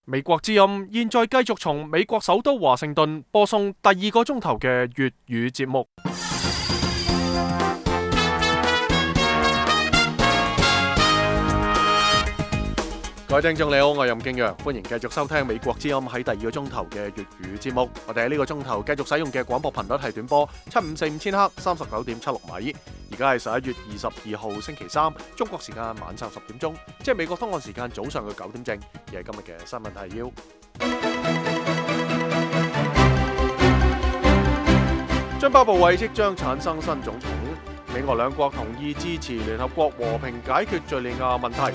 美國之音現在繼續從美國首都華盛頓播送第2個鐘頭嘅粵語節目。各位聽眾你好，我係任敬陽，歡迎繼續收聽美國之音喺第2個鐘頭嘅粵語節目。我哋喺呢個鐘頭繼續使用嘅廣播頻率係短波7545千赫39.76米。而家係11月22號星期三，中國時間晚上10點鐘，即係美國東岸時間早上嘅9點正。而係今日嘅新聞提要。津巴布韋即將產生新總統，美俄兩國同意支持聯合國和平解決敘利亞問題。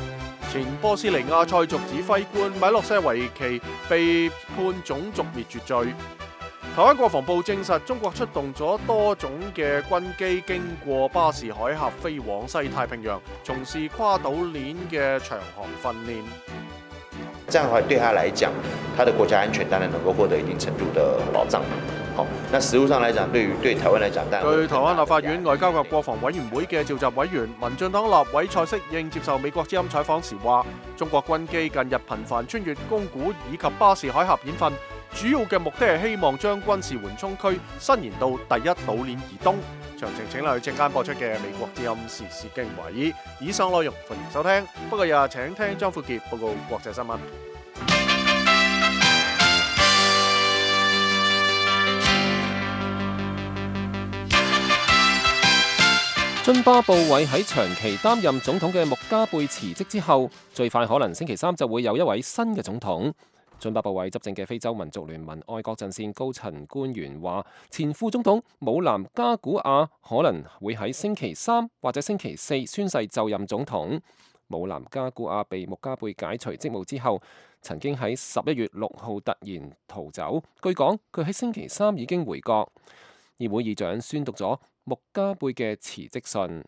前波斯尼亞塞族指揮官米洛舍維奇被判種族滅絕罪。台灣國防部證實，中國出動咗多種嘅軍機經過巴士海峽飛往西太平洋，從事跨島鏈嘅長航訓練。這樣的話，對他來講，他的國家安全當然能夠獲得一定程度的保障。那實務上來講，對台灣來講，據台灣立法院外交及國防委員會嘅召集委員、民進黨立委蔡適應接受美國之音採訪時話，中國軍機近日頻繁穿越宮古以及巴士海峽演訓，主要嘅目的係希望將軍事緩衝區伸延到第一島鏈以東。詳情請留意陣間播出嘅美國之音時事經緯。以上內容歡迎收聽，不過又請聽張富傑報告國際新聞。津巴布韋喺長期擔任總統嘅穆加貝辭職之後，最快可能星期三就會有一位新嘅總統。津巴布韋執政嘅非洲民族聯盟愛國陣線高層官員話，前副總統姆南加古亞可能會喺星期三或者星期四宣誓就任總統。姆南加古亞被穆加貝解除職務之後，曾經喺11月6號突然逃走。據講，佢喺星期三已經回國。議會議長宣讀咗穆加貝嘅辭職信。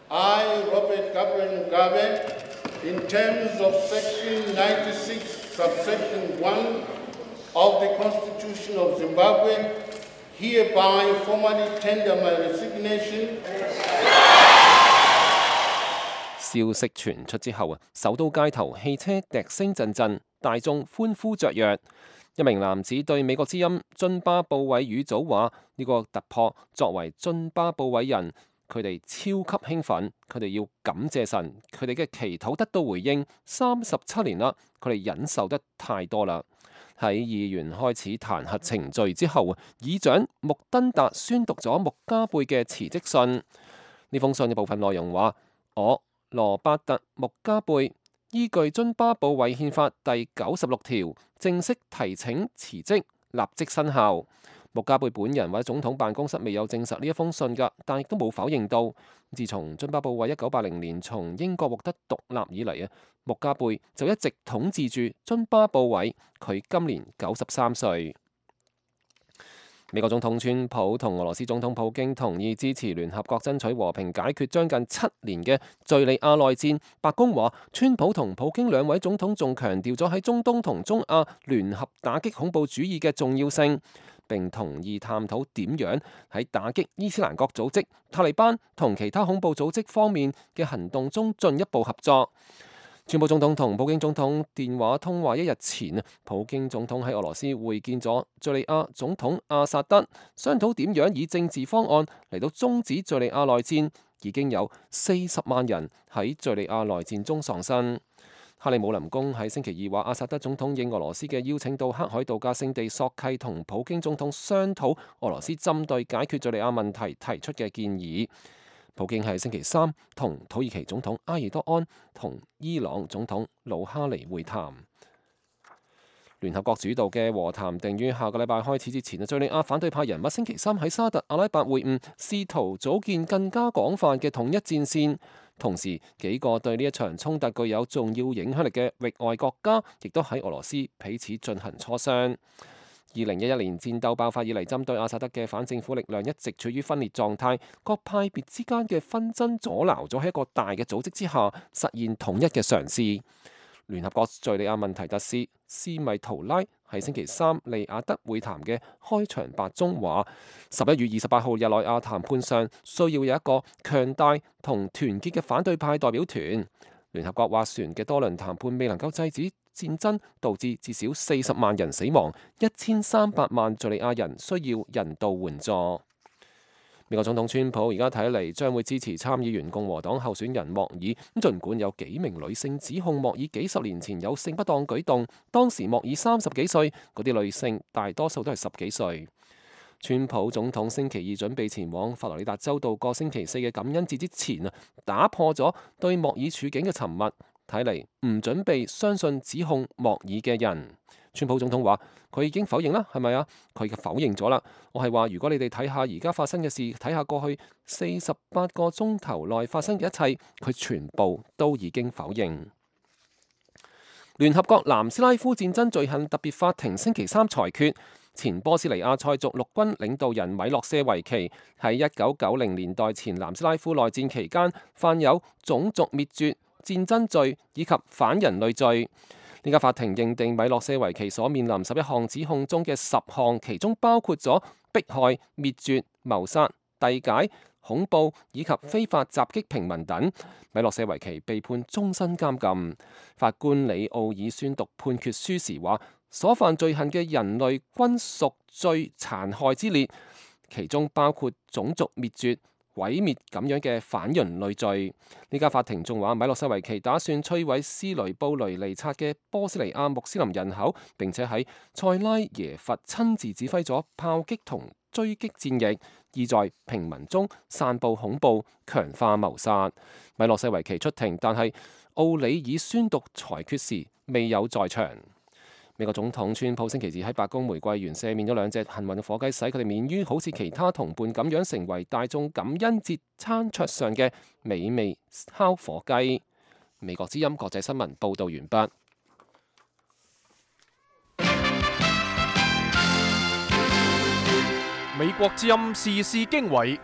I, Robert Gabriel Mugabe, in terms of Section 96, subsection 1 of the Constitution of Zimbabwe, hereby formally tender my resignation. 消息傳出之後首都街頭汽車笛聲陣陣，大眾歡呼雀躍。一名男子對美國之音津巴布韋語組話：呢個突破作為津巴布韋人，佢哋超級興奮，佢哋要感謝神，佢哋嘅祈禱得到回應。37年啦，佢哋忍受得太多啦。喺議員開始彈劾程序之後，議長穆登達宣讀咗穆加貝嘅辭職信。呢封信嘅部分內容話：我羅伯特穆加貝依據津巴布韋憲法第96條正式提請辭職，立即生效。穆加貝本人或者總統辦公室未有證實呢一封信㗎，但亦都冇否認到。自從津巴布韋1980年從英國獲得獨立以嚟穆加貝就一直統治住津巴布韋。佢今年93歲。美國總統川普同俄羅斯總統普京同意支持聯合國爭取和平解決將近7年嘅敘利亞內戰。白宮話，川普同普京兩位總統仲強調咗喺中東同中亞聯合打擊恐怖主義嘅重要性，並同意探討點樣喺打擊伊斯蘭國組織、塔利班同其他恐怖組織方面嘅行動中進一步合作。川普總統同普京總統電話通話一日前，普京總統喺俄羅斯會見咗敘利亞總統阿薩德，商討點樣以政治方案嚟到終止敘利亞內戰。已經有40萬人喺敘利亞內戰中喪生。克里姆林宮喺星期二話，阿薩德總統應俄羅斯嘅邀請到黑海度假勝地索契同普京總統商討俄羅斯針對解決敘利亞問題提出嘅建議。普京喺星期三同土耳其總統埃爾多安同伊朗總統魯哈尼會談。聯合國主導嘅和談定於下個禮拜開始之前，敘利亞反對派人物星期三喺沙特阿拉伯會晤，試圖組建更加廣泛嘅統一戰線。同時，幾個對呢一場衝突具有重要影響力嘅域外國家，亦都喺俄羅斯彼此進行磋商。2011年戰鬥爆發以嚟，針對阿薩德嘅反政府力量一直處於分裂狀態，各派別之間嘅紛爭阻撓咗喺一個大嘅組織之下實現統一嘅嘗試。聯合國敘利亞問題特使斯米圖拉喺星期三利雅得會談嘅開場白中話：11月28號日內瓦談判上需要有一個強大同團結嘅反對派代表團。聯合國斡旋嘅多輪談判未能夠制止戰爭，導致至少40萬人死亡，1300萬敘利亞人需要人道援助。美國總統川普而家睇嚟將會支持參議員共和黨候選人莫爾，儘管有幾名女性指控莫爾幾十年前有性不當舉動，當時莫爾30幾歲，嗰啲女性大多數都係10幾歲。川普總統星期二準備前往佛羅里達州度過星期4嘅感恩節之前打破咗對莫爾處境嘅沉默，睇嚟唔準備相信指控莫爾嘅人。川普總統話：佢已經否認啦，係咪啊？佢否認咗啦。我係話，如果你哋睇下而家發生嘅事，睇下過去48個鐘頭內發生嘅一切，佢全部都已經否認。聯合國南斯拉夫戰爭罪行特別法庭星期3裁決，前波斯尼亞塞族陸軍領導人米洛舍維奇喺1990年代前南斯拉夫內戰期間犯有種族滅絕、戰爭罪以及反人類罪。呢家法庭認定米洛舍維奇所面臨11項指控中嘅10項，其中包括咗迫害、滅絕、謀殺、遞解、恐怖以及非法襲擊平民等。米洛舍維奇被判終身監禁。法官里奧爾宣讀判決書時話：所犯罪行嘅人類均屬最殘害之列，其中包括種族滅絕、毀滅咁樣嘅反人類罪。呢家法庭仲話，米洛舍維奇打算摧毀斯雷布雷尼察嘅波斯尼亞穆斯林人口，並且喺塞拉耶佛親自指揮咗炮擊同追擊戰役，意在平民中散布恐怖，強化謀殺。米洛舍維奇出庭，但係奧里爾宣讀裁決時未有在場。美國總統川普星期二喺白宮玫瑰園赦免咗2隻幸運嘅火雞，使佢哋免於好似其他同伴咁樣成為大眾感恩節餐桌上嘅美味烤火雞。美國之音國際新聞報道完畢。美國之音時事經緯，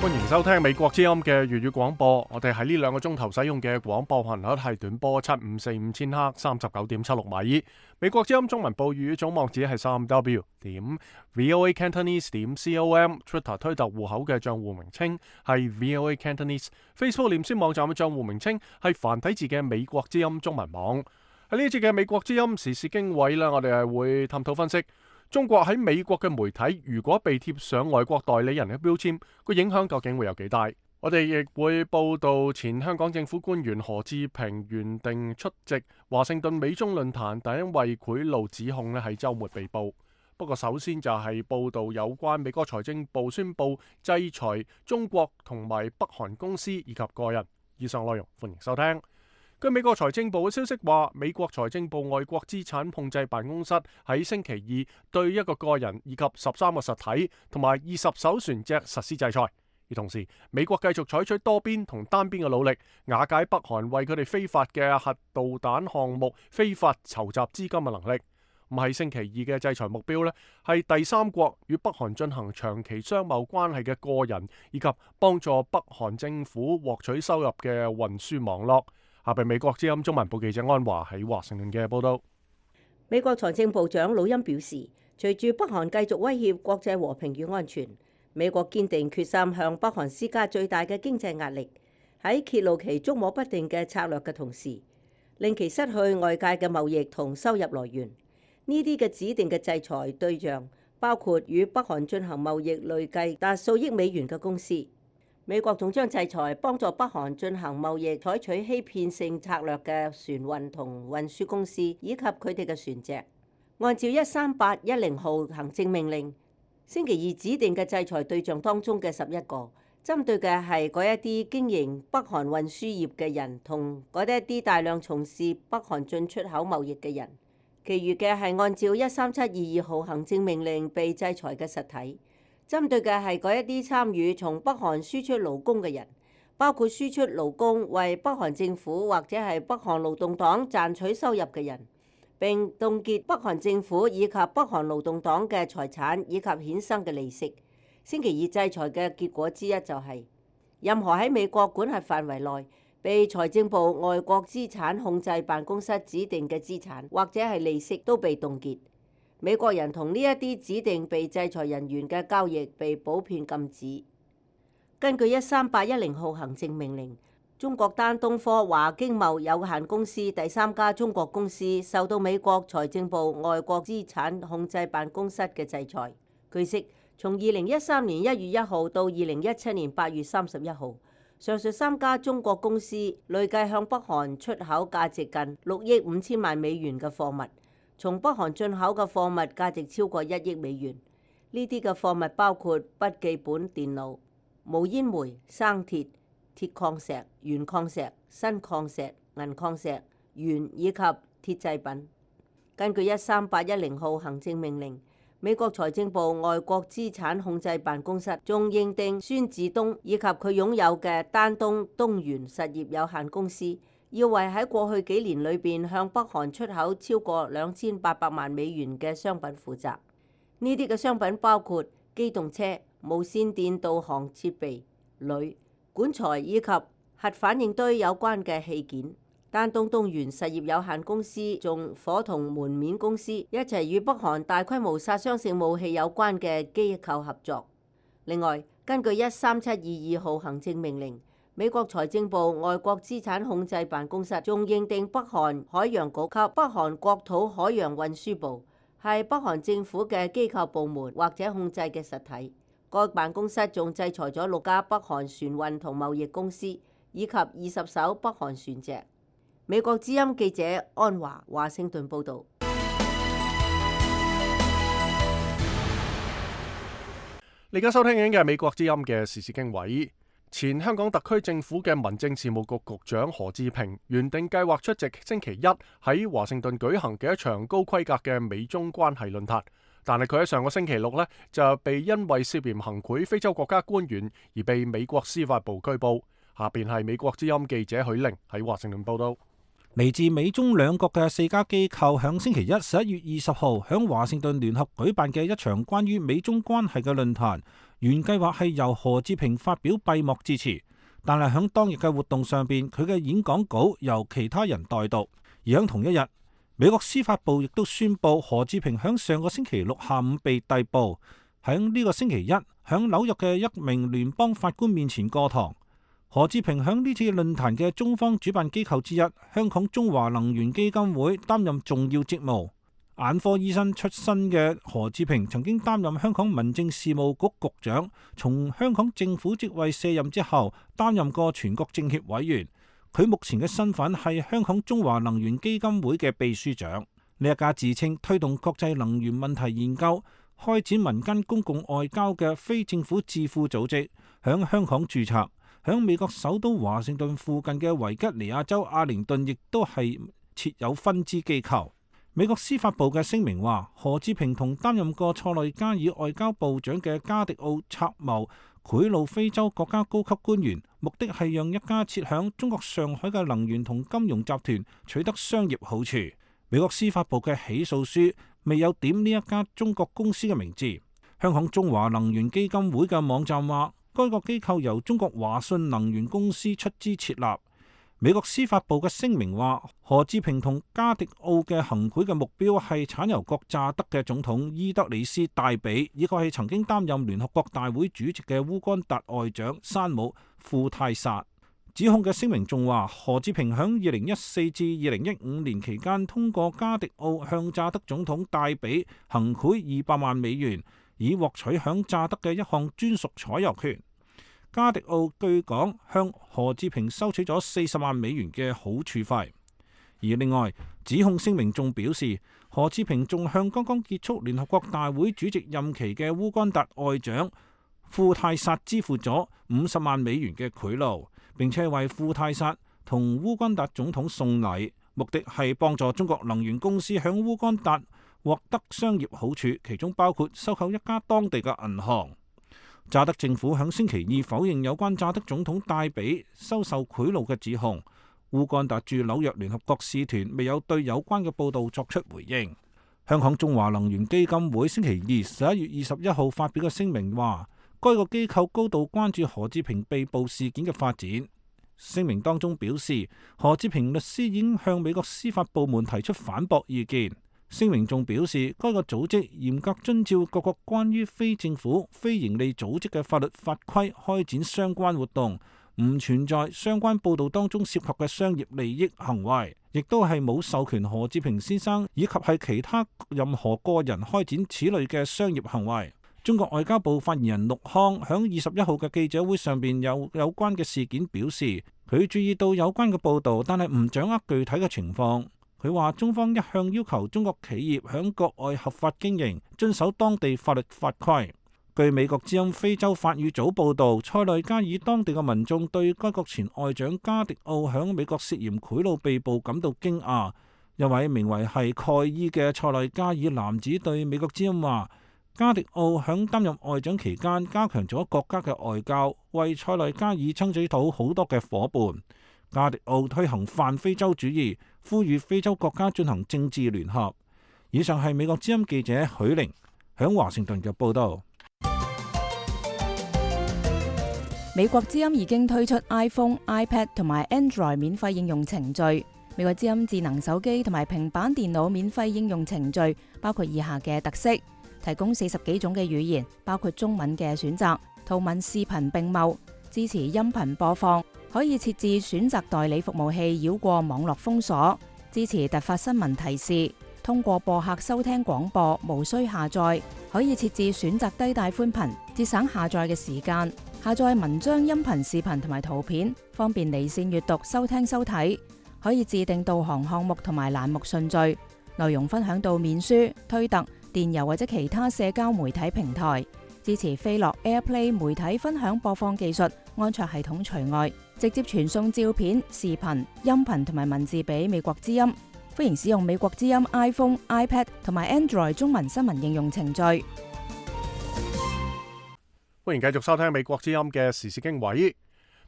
歡迎收聽美國之音嘅粵語廣播。我哋喺呢2個鐘頭使用嘅廣播頻率係短波7545千赫39.76米。美國之音中文部粵語總網址係3w.voacantonese.com。Twitter 推特戶口嘅賬戶名稱係 VOA Cantonese。Facebook 臉書網站嘅賬戶名稱係繁體字嘅美國之音中文網。喺呢一節嘅美國之音時事經緯啦，我哋係會探討分析中國喺美國嘅媒體如果被貼上外國代理人嘅標籤，個影響究竟會有幾大？我哋亦會報道前香港政府官員何志平原定出席華盛頓美中論壇，但因為賄賂指控咧喺週末被捕。不過首先就係報道有關美國財政部宣布制裁中國同埋北韓公司以及個人。以上內容歡迎收聽。據美國財政部嘅消息話，美國財政部外國資產控制辦公室喺星期2對一個個人以及13個實體同埋20艘船隻實施制裁。而同時，美國繼續採取多邊同單邊嘅努力，瓦解北韓為佢哋非法嘅核導彈項目非法籌集資金嘅能力。咁喺星期2嘅制裁目標呢，係第三國與北韓進行長期商貿關係嘅個人，以及幫助北韓政府獲取收入嘅運輸網絡。下邊美國之音中文部記者安華喺華盛頓嘅報道。美國財政部長魯欽表示，隨住北韓繼續威脅國際和平與安全，美國堅定決心向北韓施加最大嘅經濟壓力，喺揭露其捉摸不定嘅策略嘅同時，令其失去外界嘅貿易同收入來源。呢啲嘅指定嘅制裁對象包括與北韓進行貿易累計達數億美元嘅公司。美國仲將制裁幫助北韓進行貿易採取欺騙性策略嘅船運同運輸公司，以及佢哋嘅船隻。按照13810號行政命令，星期2指定嘅制裁對象當中嘅11個，針對嘅係嗰一啲經營北韓運輸業嘅人同嗰一啲大量從事北韓進出口貿易嘅人。其餘嘅係按照13722號行政命令被制裁嘅實體。針對嘅係嗰一啲參與從北韓輸出勞工嘅人，包括輸出勞工為北韓政府或者係北韓勞動黨賺取收入嘅人，並凍結北韓政府以及北韓勞動黨嘅財產以及衍生嘅利息。星期2制裁嘅結果之一就係，任何喺美國管轄範圍內被財政部外國資產控制辦公室指定嘅資產或者係利息都被凍結。美國人同呢一啲指定被制裁人員嘅交易被普遍禁止。根據13810號行政命令，中國丹東科華經貿有限公司第三家中國公司受到美國財政部外國資產控制辦公室嘅制裁。據悉，從2013年1月1號到2017年8月31號，上述三家中國公司累計向北韓出口價值近6億5千萬美元嘅貨物，從北韓進口嘅貨物價值超過1億美元。呢啲嘅貨物包括筆記本電腦、無煙煤、生鐵、鐵礦石、鉛礦石、砷礦石、銀礦石、鉛以及鐵製品。根據13810號行政命令，美國財政部外國資產控制辦公室仲認定孫志東以及佢擁有嘅丹東東元實業有限公司，要為喺過去幾年裏邊向北韓出口超過2800萬美元嘅商品負責。呢啲嘅商品包括機動車、無線電導航設備、鋁、管材以及核反應堆有關嘅器件。丹東東元實業有限公司仲夥同門面公司一齊與北韓大規模殺傷性武器有關嘅機構合作。另外，根據13722號行政命令，美國財政部外國資產控制辦公室仲認定北韓海洋局及北韓國土海洋運輸部係北韓政府嘅機構部門或者控制嘅實體。該辦公室仲制裁咗6家北韓船運同貿易公司，以及20艘北韓船隻。美國之音記者安華華盛頓報導。你而家收聽緊嘅係美國之音嘅時事經緯。前香港特區政府嘅民政事務局局長何志平原定計劃出席星期一喺華盛頓舉行嘅一場高規格嘅美中關係論壇，但係佢喺上個星期六呢，就被因為涉嫌行賄非洲國家官員而被美國司法部拘捕。下邊係美國之音記者許玲喺華盛頓報道。嚟自美中兩國嘅4家機構響星期一11月20號響華盛頓聯合舉辦嘅一場關於美中關係嘅論壇，原計劃係由何志平發表閉幕致辭，但係響當日嘅活動上邊，佢嘅演講稿由其他人代讀。而響同一日，美國司法部亦都宣布何志平響上個星期六下午被逮捕，響呢個星期一響紐約嘅一名聯邦法官面前過堂。何志平響呢次論壇嘅中方主辦機構之一香港中華能源基金會擔任重要職務。眼科醫生出身嘅何志平曾經擔任香港民政事務局局長，從香港政府職位卸任之後擔任過全國政協委員。佢目前嘅身份係香港中華能源基金會嘅秘書長。呢一家自稱推動國際能源問題研究、開展民間公共外交嘅非政府智庫組織，響香港註冊。響美國首都華盛頓附近嘅維吉尼亞州阿靈頓亦都係設有分支機構。美國司法部嘅聲明話，何志平同擔任過塞內加爾外交部長嘅加迪奧策謀賄賂非洲國家高級官員，目的係讓一家設響中國上海嘅能源同金融集團取得商業好處。美國司法部嘅起訴書未有點呢一家中國公司嘅名字。香港中華能源基金會嘅網站話，該個機構由中國華信能源公司出資設立。美國司法部嘅聲明話，何志平同加迪奧嘅行賄嘅目標係產油國乍得嘅總統伊德里斯戴比，以及係曾經擔任聯合國大會主席嘅烏干達外長山姆庫泰薩。指控嘅聲明仲話，何志平響2014至2015年期間通過加迪奧向乍得總統戴比行賄200萬美元，以獲取響乍得嘅一項專屬採油權。加迪奧據講向何志平收取咗40萬美元嘅好處費。而另外，指控聲明仲表示，何志平仲向剛剛結束聯合國大會主席任期嘅烏干達外長庫泰薩支付咗50萬美元嘅賄賂，並且為庫泰薩同烏干達總統送禮，目的係幫助中國能源公司響烏干達獲得商業好處，其中包括收購一家當地嘅銀行。乍得政府響星期二否認有關乍得總統戴比收受賄賂嘅指控。烏干達駐紐約聯合國使團未有對有關嘅報導作出回應。香港中華能源基金會星期二11月21號發表嘅聲明話，該個機構高度關注何志平被捕事件嘅發展。聲明當中表示，何志平律師已經向美國司法部門提出反駁意見。聲明仲表示，該個組織嚴格遵照各國關於非政府、非營利組織嘅法律法規開展相關活動，唔存在相關報導當中涉及嘅商業利益行為，亦都係冇授權何志平先生以及係其他任何個人開展此類嘅商業行為。中國外交部發言人陸康響21號嘅記者會上邊有關嘅事件表示，佢注意到有關嘅報導，但係唔掌握具體嘅情況。佢話中方一向要求中國企業響國外合法經營，遵守當地法律法規。據美國之音非洲法語組報導，塞內加爾當地嘅民眾對該國前外長加迪奧響美國涉嫌賄賂被捕感到驚訝。一位名為係蓋伊嘅塞內加爾男子對美國之音話，加迪奧響擔任外長期間加強咗國家嘅外交，為塞內加爾爭取到好多嘅伙伴。加迪奧推行泛非洲主義，呼籲非洲國家進行政治聯合。以上係美國之音記者許玲響華盛頓嘅報道。美國之音已經推出 iPhone、iPad 同埋 Android 免費應用程序。美國之音智能手機同埋平板電腦免費應用程序包括以下嘅特色：提供40幾種嘅語言，包括中文嘅選擇，圖文視頻並茂，支持音頻播放，可以設置選擇代理服務器繞過網絡封鎖，支持突發新聞提示，通過播客收聽廣播，無需下載，可以設置選擇低帶寬頻，節省下載嘅時間，下載文章、音頻、視頻同埋圖片，方便離線閱讀、收聽收睇，可以自定導航項目同埋欄目順序，內容分享到面書、推特、電郵或者其他社交媒體平台，支持飛樂 AirPlay 媒體分享播放技術，安卓系統除外，直接傳送照片、視頻、音頻同埋文字俾美國之音。歡迎使用美國之音 iPhone、iPad 同埋 Android 中文新聞應用程序。歡迎繼續收聽美國之音嘅時事經緯。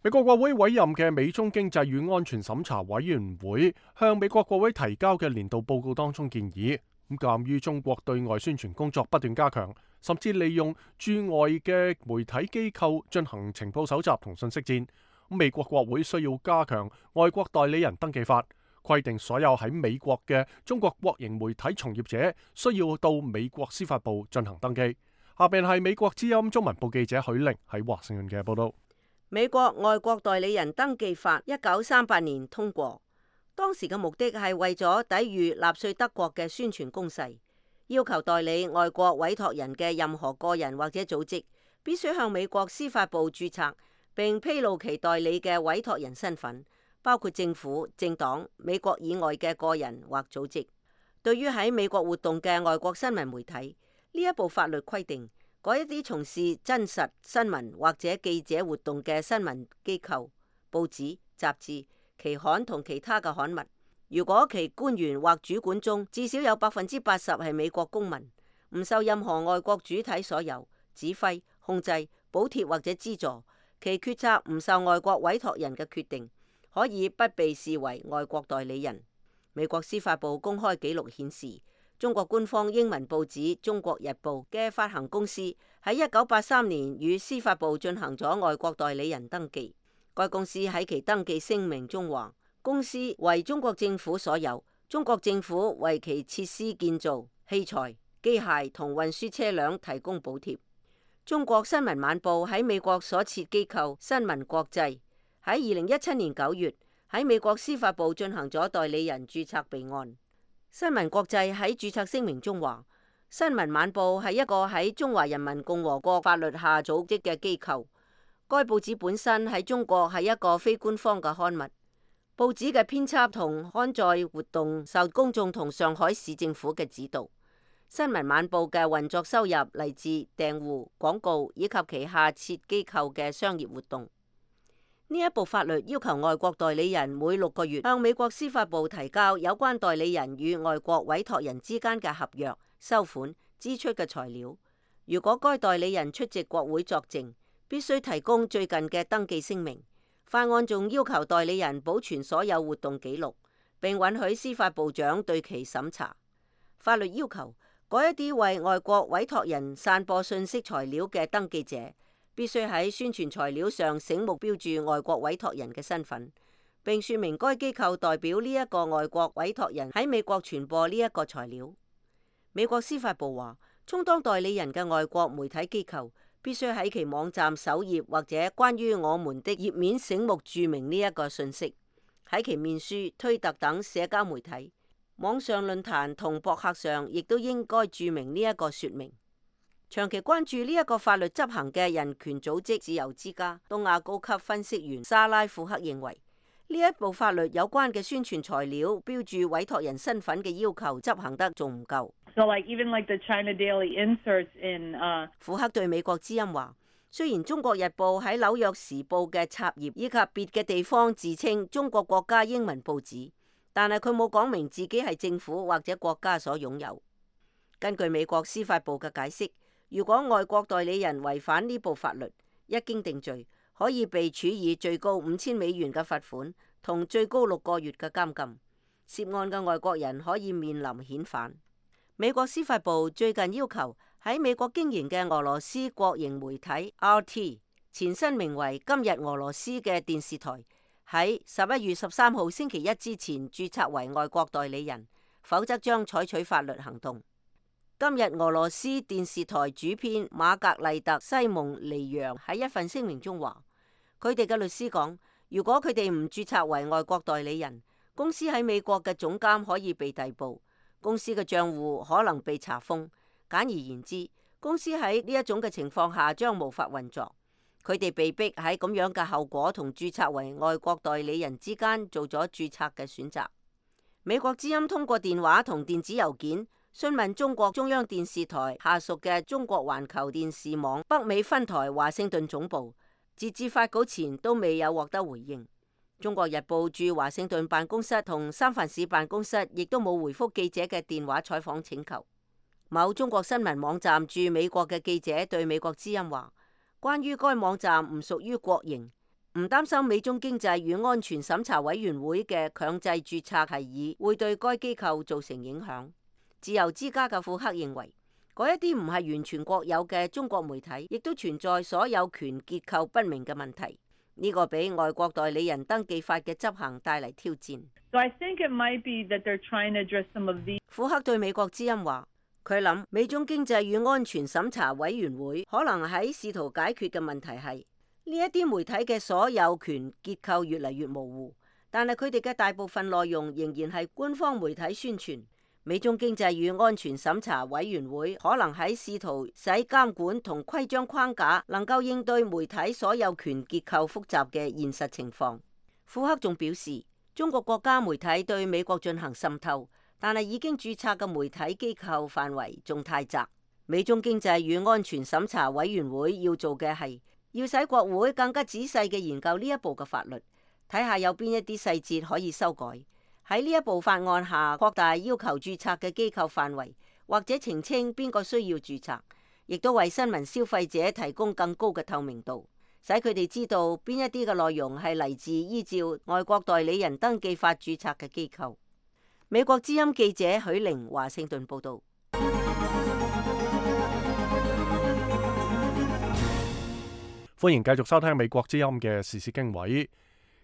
美國國會委任嘅美中經濟與安全審查委員會向美國國會提交嘅年度報告當中建議，鑑於中國對外宣傳工作不斷加強，甚至利用駐外嘅媒體機構進行情報搜集同信息戰，美國國會需要加強外國代理人登記法，規定所有喺美國嘅中國國營媒體從業者需要到美國司法部進行登記。下邊係美國之音中文部記者許玲喺華盛頓嘅報道。美國外國代理人登記法1938年通過，當時嘅目的係為咗抵禦納粹德國嘅宣傳攻勢，要求代理外國委託人嘅任何個人或者組織必須向美國司法部註冊，並披露其代理嘅委託人身份，包括政府、政黨、美國以外嘅個人或組織。對於喺美國活動嘅外國新聞媒體，呢一部法律規定，嗰一啲從事真實新聞或者記者活動嘅新聞機構、報紙、雜誌、期刊同其他嘅刊物，如果其官員或主管中至少有80%係美國公民，唔受任何外國主體所有指揮、控制、補貼或者資助，其決策唔受外國委託人嘅決定，可以不被視為外國代理人。美國司法部公開記錄顯示，中國官方英文報紙《中國日報》嘅發行公司喺1983年與司法部進行咗外國代理人登記。該公司喺其登記聲明中話，公司為中國政府所有，中國政府為其設施建造、器材、機械同運輸車輛提供補貼。中國新聞晚報喺美國所設機構新聞國際喺2017年9月喺美國司法部進行咗代理人註冊備案。新聞國際喺註冊聲明中話，新聞晚報係一個喺中華人民共和國法律下組織嘅機構。該報紙本身喺中國係一個非官方嘅刊物。報紙嘅編輯同刊載活動受公眾同上海市政府嘅指導。新聞晚報嘅運作收入嚟自訂戶、廣告以及旗下設機構嘅商業活動。呢一部法律要求外國代理人每6個月向美國司法部提交有關代理人與外國委託人之間嘅合約、收款、支出嘅材料。如果該代理人出席國會作證，必須提供最近嘅登記聲明。法案仲要求代理人保存所有活動記錄，並允許司法部長對其審查。法律要求嗰一啲為外國委託人散播信息材料嘅登記者，必須喺宣傳材料上醒目標注外國委託人嘅身份，並說明該機構代表呢一個外國委託人喺美國傳播呢一個材料。美國司法部話，充當代理人嘅外國媒體機構必須喺其網站首頁或者關於我們的頁面醒目註明呢一個信息。喺其面書、推特等社交媒體、網上論壇同博客上，亦都應該註明呢一個說明。長期關注呢一個法律執行嘅人權組織自由之家東亞高級分析員莎拉庫克認為，呢一部法律有關嘅宣傳材料標注委託人身份嘅要求執行得仲唔夠。庫克對美國之音話，雖然中國日報喺紐約時報嘅插頁以及別嘅地方自稱中國國家英文報紙，但係佢冇講明自己係政府或者國家所擁有。根據美國司法部嘅解釋，如果外國代理人違反呢部法律，一經定罪，可以被處以最高$5000嘅罰款同最高6個月嘅監禁。涉案嘅外國人可以面臨遣返。美國司法部最近要求喺美國經營嘅俄羅斯國營媒體 RT 前身名為今日俄羅斯嘅電視台，喺11月13號星期一之前註冊為外國代理人，否則將採取法律行動。今日俄羅斯電視台主編瑪格麗特·西蒙尼揚喺一份聲明中話，佢哋嘅律師講，如果佢哋唔註冊為外國代理人，公司喺美國嘅總監可以被逮捕，公司嘅賬戶可能被查封。簡而言之，公司喺呢一種嘅情況下將無法運作。佢哋被逼喺咁樣嘅後果同註冊為外國代理人之間做咗註冊嘅選擇。美國之音通過電話同電子郵件詢問中國中央電視台下屬嘅中國環球電視網北美分台華盛頓總部，截至發稿前都未有獲得回應。中國日報駐華盛頓辦公室同三藩市辦公室亦都冇回覆記者嘅電話採訪請求。某中國新聞網站駐美國嘅記者對美國之音話，關於該網站唔屬於國營，唔擔心美中經濟與安全審查委員會嘅強制註冊提議會對該機構造成影響。自由之家嘅庫克認為，嗰一啲唔係完全國有嘅中國媒體，亦都存在所有權結構不明嘅問題。呢個俾外國代理人登記法嘅執行帶嚟挑戰。庫克對美國之音話，佢諗美中經濟與安全審查委員會可能喺試圖解決嘅問題係呢一啲媒體嘅所有權結構越嚟越模糊，但係佢哋嘅大部分內容仍然係官方媒體宣傳。美中經濟與安全審查委員會可能喺試圖使監管同規章框架能夠應對媒體所有權結構複雜嘅現實情況。庫克仲表示，中國國家媒體對美國進行滲透，但係已經註冊嘅媒體機構範圍仲太窄。美中經濟與安全審查委員會要做嘅係要使國會更加仔細嘅研究呢一部嘅法律，睇下有邊一啲細節可以修改。喺呢一部法案下擴大要求註冊嘅機構範圍，或者澄清邊個需要註冊，亦都為新聞消費者提供更高嘅透明度，使佢哋知道邊一啲嘅內容係嚟自依照外國代理人登記法註冊嘅機構。美國之音記者許玲華盛頓報道。歡迎繼續收聽美國之音嘅時事經緯。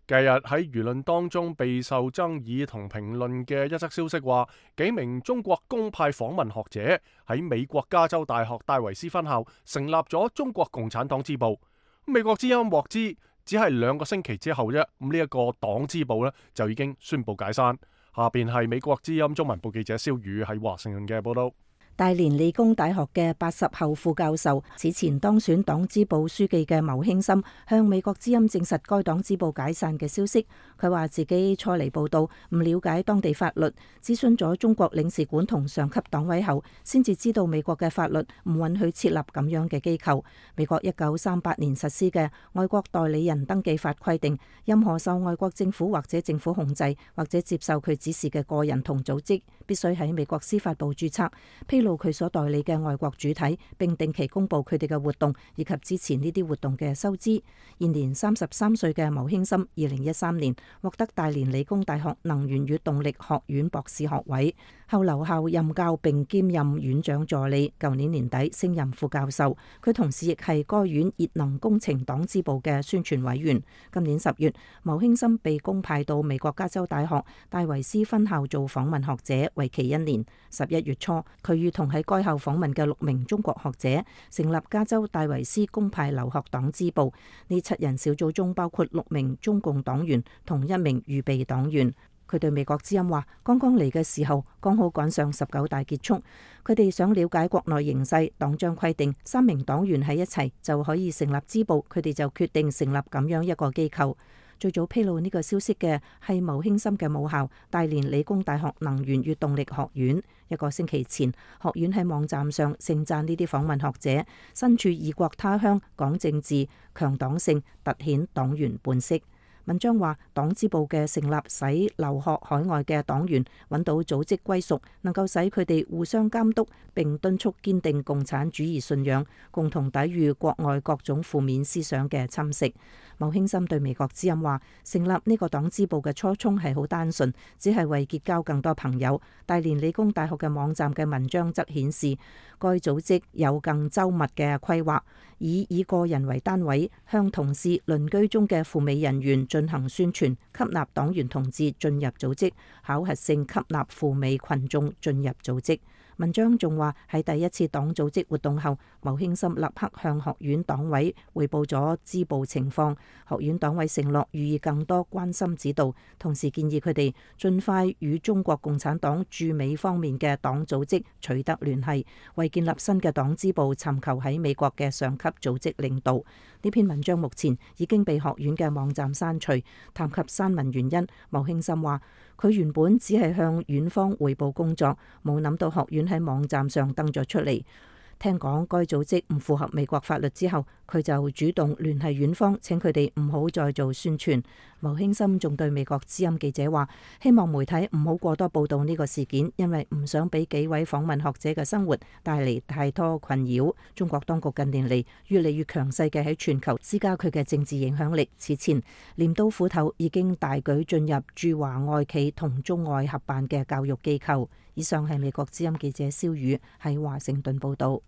近日喺輿論當中備受爭議同評論嘅一則消息話，幾名中國公派訪問學者喺美國加州大學戴維斯分校成立咗中國共產黨支部。美國之音獲知，只係2個星期之後啫，咁呢一個黨支部呢就已經宣布解散。下邊係美國之音中文部記者蕭宇喺華盛頓嘅報道。大連理工大學嘅80後副教授，此前當選黨支部書記嘅牟興森向美國之音證實該黨支部解散嘅消息。佢話自己初嚟報道，唔了解當地法律，諮詢咗中國領事館同上級黨委後，先至知道美國嘅法律唔允許設立咁樣嘅機構。美國1938年實施嘅外國代理人登記法規定，任何受外國政府或者政府控制或者接受佢指示嘅個人同組織，必須喺美國司法部註冊，披露佢所代理嘅外國主體，並定期公布佢哋嘅活動以及支持呢啲活動嘅收支。現年33歲嘅牟興森2013年獲得大連理工大學能源與動力學院博士學位，後留校任教並兼任院長助理。舊年年底升任副教授，佢同時亦係該院熱能工程黨支部嘅宣傳委員。今年10月，牟興森被公派到美國加州大學戴維斯分校做訪問學者，為期1年。11月初，佢與同喺該校訪問嘅6名中國學者，成立加州戴維斯公派留學黨支部。呢7人小組中包括6名中共黨員同1名預備黨員。佢對美國之音話：剛剛嚟嘅時候，剛好趕上19大結束。佢哋想了解國內形勢，黨章規定3名黨員喺一齊就可以成立支部，佢哋就決定成立咁樣一個機構。最早披露呢個消息嘅係牟興森嘅母校大連理工大學能源與動力學院。1個星期前，學院喺網站上盛讚呢啲訪問學者身處異國他鄉，講政治、強黨性，凸顯黨員本色。文章話，黨支部嘅成立使留學海外嘅黨員揾到組織歸屬，能夠使佢哋互相監督，並敦促堅定共產主義信仰，共同抵禦國外各種負面思想嘅侵蝕。牟興森對美國之音話，成立呢個黨支部嘅初衷係好單純，只係為結交更多朋友。大連理工大學嘅網站嘅文章則顯示，該組織有更周密嘅規劃，以個人為單位，向同事鄰居中嘅赴美人員進行宣傳，吸納黨員同志進入組織，考核性吸納赴美群眾進入組織。文章仲話，喺第一次黨組織活動後，牟興森立刻向學院黨委匯報咗支部情況。學院黨委承諾予以更多關心指導，同時建議佢哋盡快與中國共產黨駐美方面嘅黨組織取得聯繫，為建立新嘅黨支部尋求喺美國嘅上級組織領導。呢篇文章目前已經被學院嘅網站刪除。談及刪文原因，牟興森話，佢原本只係向院方匯報工作，冇諗到學院喺網站上登咗出嚟。聽講該組織唔符合美國法律之後，佢就主動聯繫院方，請佢哋唔好再做宣傳。牟興森仲對美國之音記者話，希望媒體唔好過多報道呢個事件，因為唔想俾幾位訪問學者嘅生活帶嚟太多困擾。中國當局近年嚟越嚟越強勢嘅喺全球施加佢嘅政治影響力。此前鐮刀斧頭已經大舉進入駐華外企同中外合辦嘅教育機構。以上係美國之音記者蕭宇喺華盛頓報道。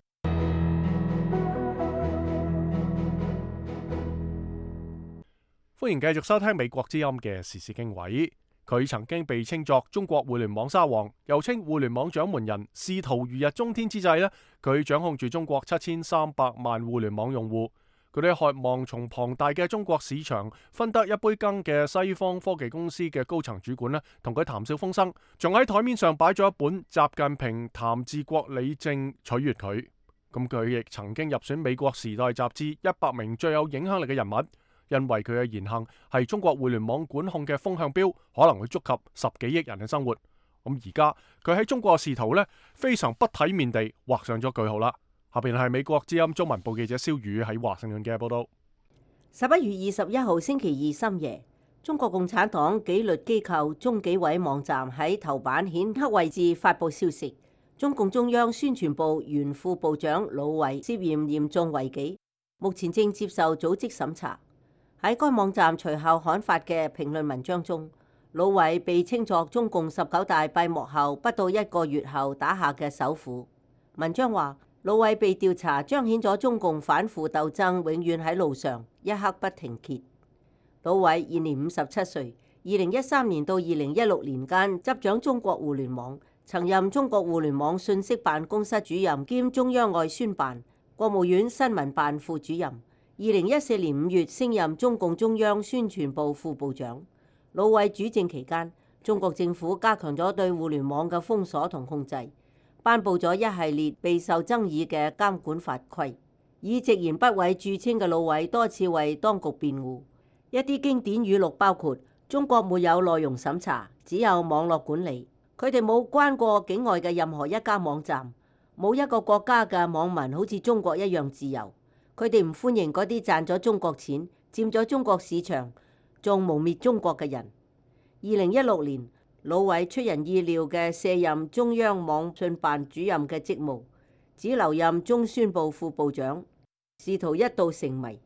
歡迎繼續收聽美國之音嘅時事經緯。佢曾經被稱作中國互聯網沙皇，又稱互聯網掌門人。仕途如日中天之際呢，佢掌控住中國7300萬互聯網用戶。佢哋渴望從龐大嘅中國市場分得一杯羹嘅西方科技公司嘅高層主管呢，同佢談笑風生，仲喺台面上擺咗一本《習近平談治國理政》取悅佢。咁佢亦曾經入選美國時代雜誌100名最有影響力嘅人物。因為佢嘅言行係中國互聯網管控嘅風向標，可能會觸及10幾億人嘅生活。咁而家佢喺中國嘅仕途呢，非常不體面地畫上咗句號啦。下邊係美國之音中文部記者蕭宇喺華盛頓嘅報道。11月21號星期二深夜，中國共產黨紀律機構中紀委網站喺頭版顯黑位置發布消息，中共中央宣傳部原副部長魯偉涉嫌嚴重違紀，目前正接受組織審查。喺該網站隨後刊發嘅評論文章中，魯偉被稱作中共19大閉幕後不到1個月後打下嘅首虎。文章話，魯偉被調查彰顯咗中共反腐鬥爭永遠喺路上，一刻不停歇。魯偉現年57歲，2013年到2016年間執掌中國互聯網，曾任中國互聯網信息辦公室主任兼中央外宣辦、國務院新聞辦副主任。2014年5月升任中共中央宣傳部副部長。魯偉主政期間，中國政府加強咗對互聯網嘅封鎖同控制，頒布咗一系列備受爭議嘅監管法規。以直言不諱著稱嘅魯偉多次為當局辯護。一啲經典語錄包括：中國沒有內容審查，只有網絡管理。佢哋冇關過境外嘅任何一家網站，冇一個國家嘅網民好似中國一樣自由。佢哋唔歡迎嗰啲賺咗中國錢、佔咗中國市場、仲污蔑中國嘅人。2016年，魯偉出人意料嘅卸任中央網信辦主任嘅職務，只留任中宣部副部長，仕途一度成謎。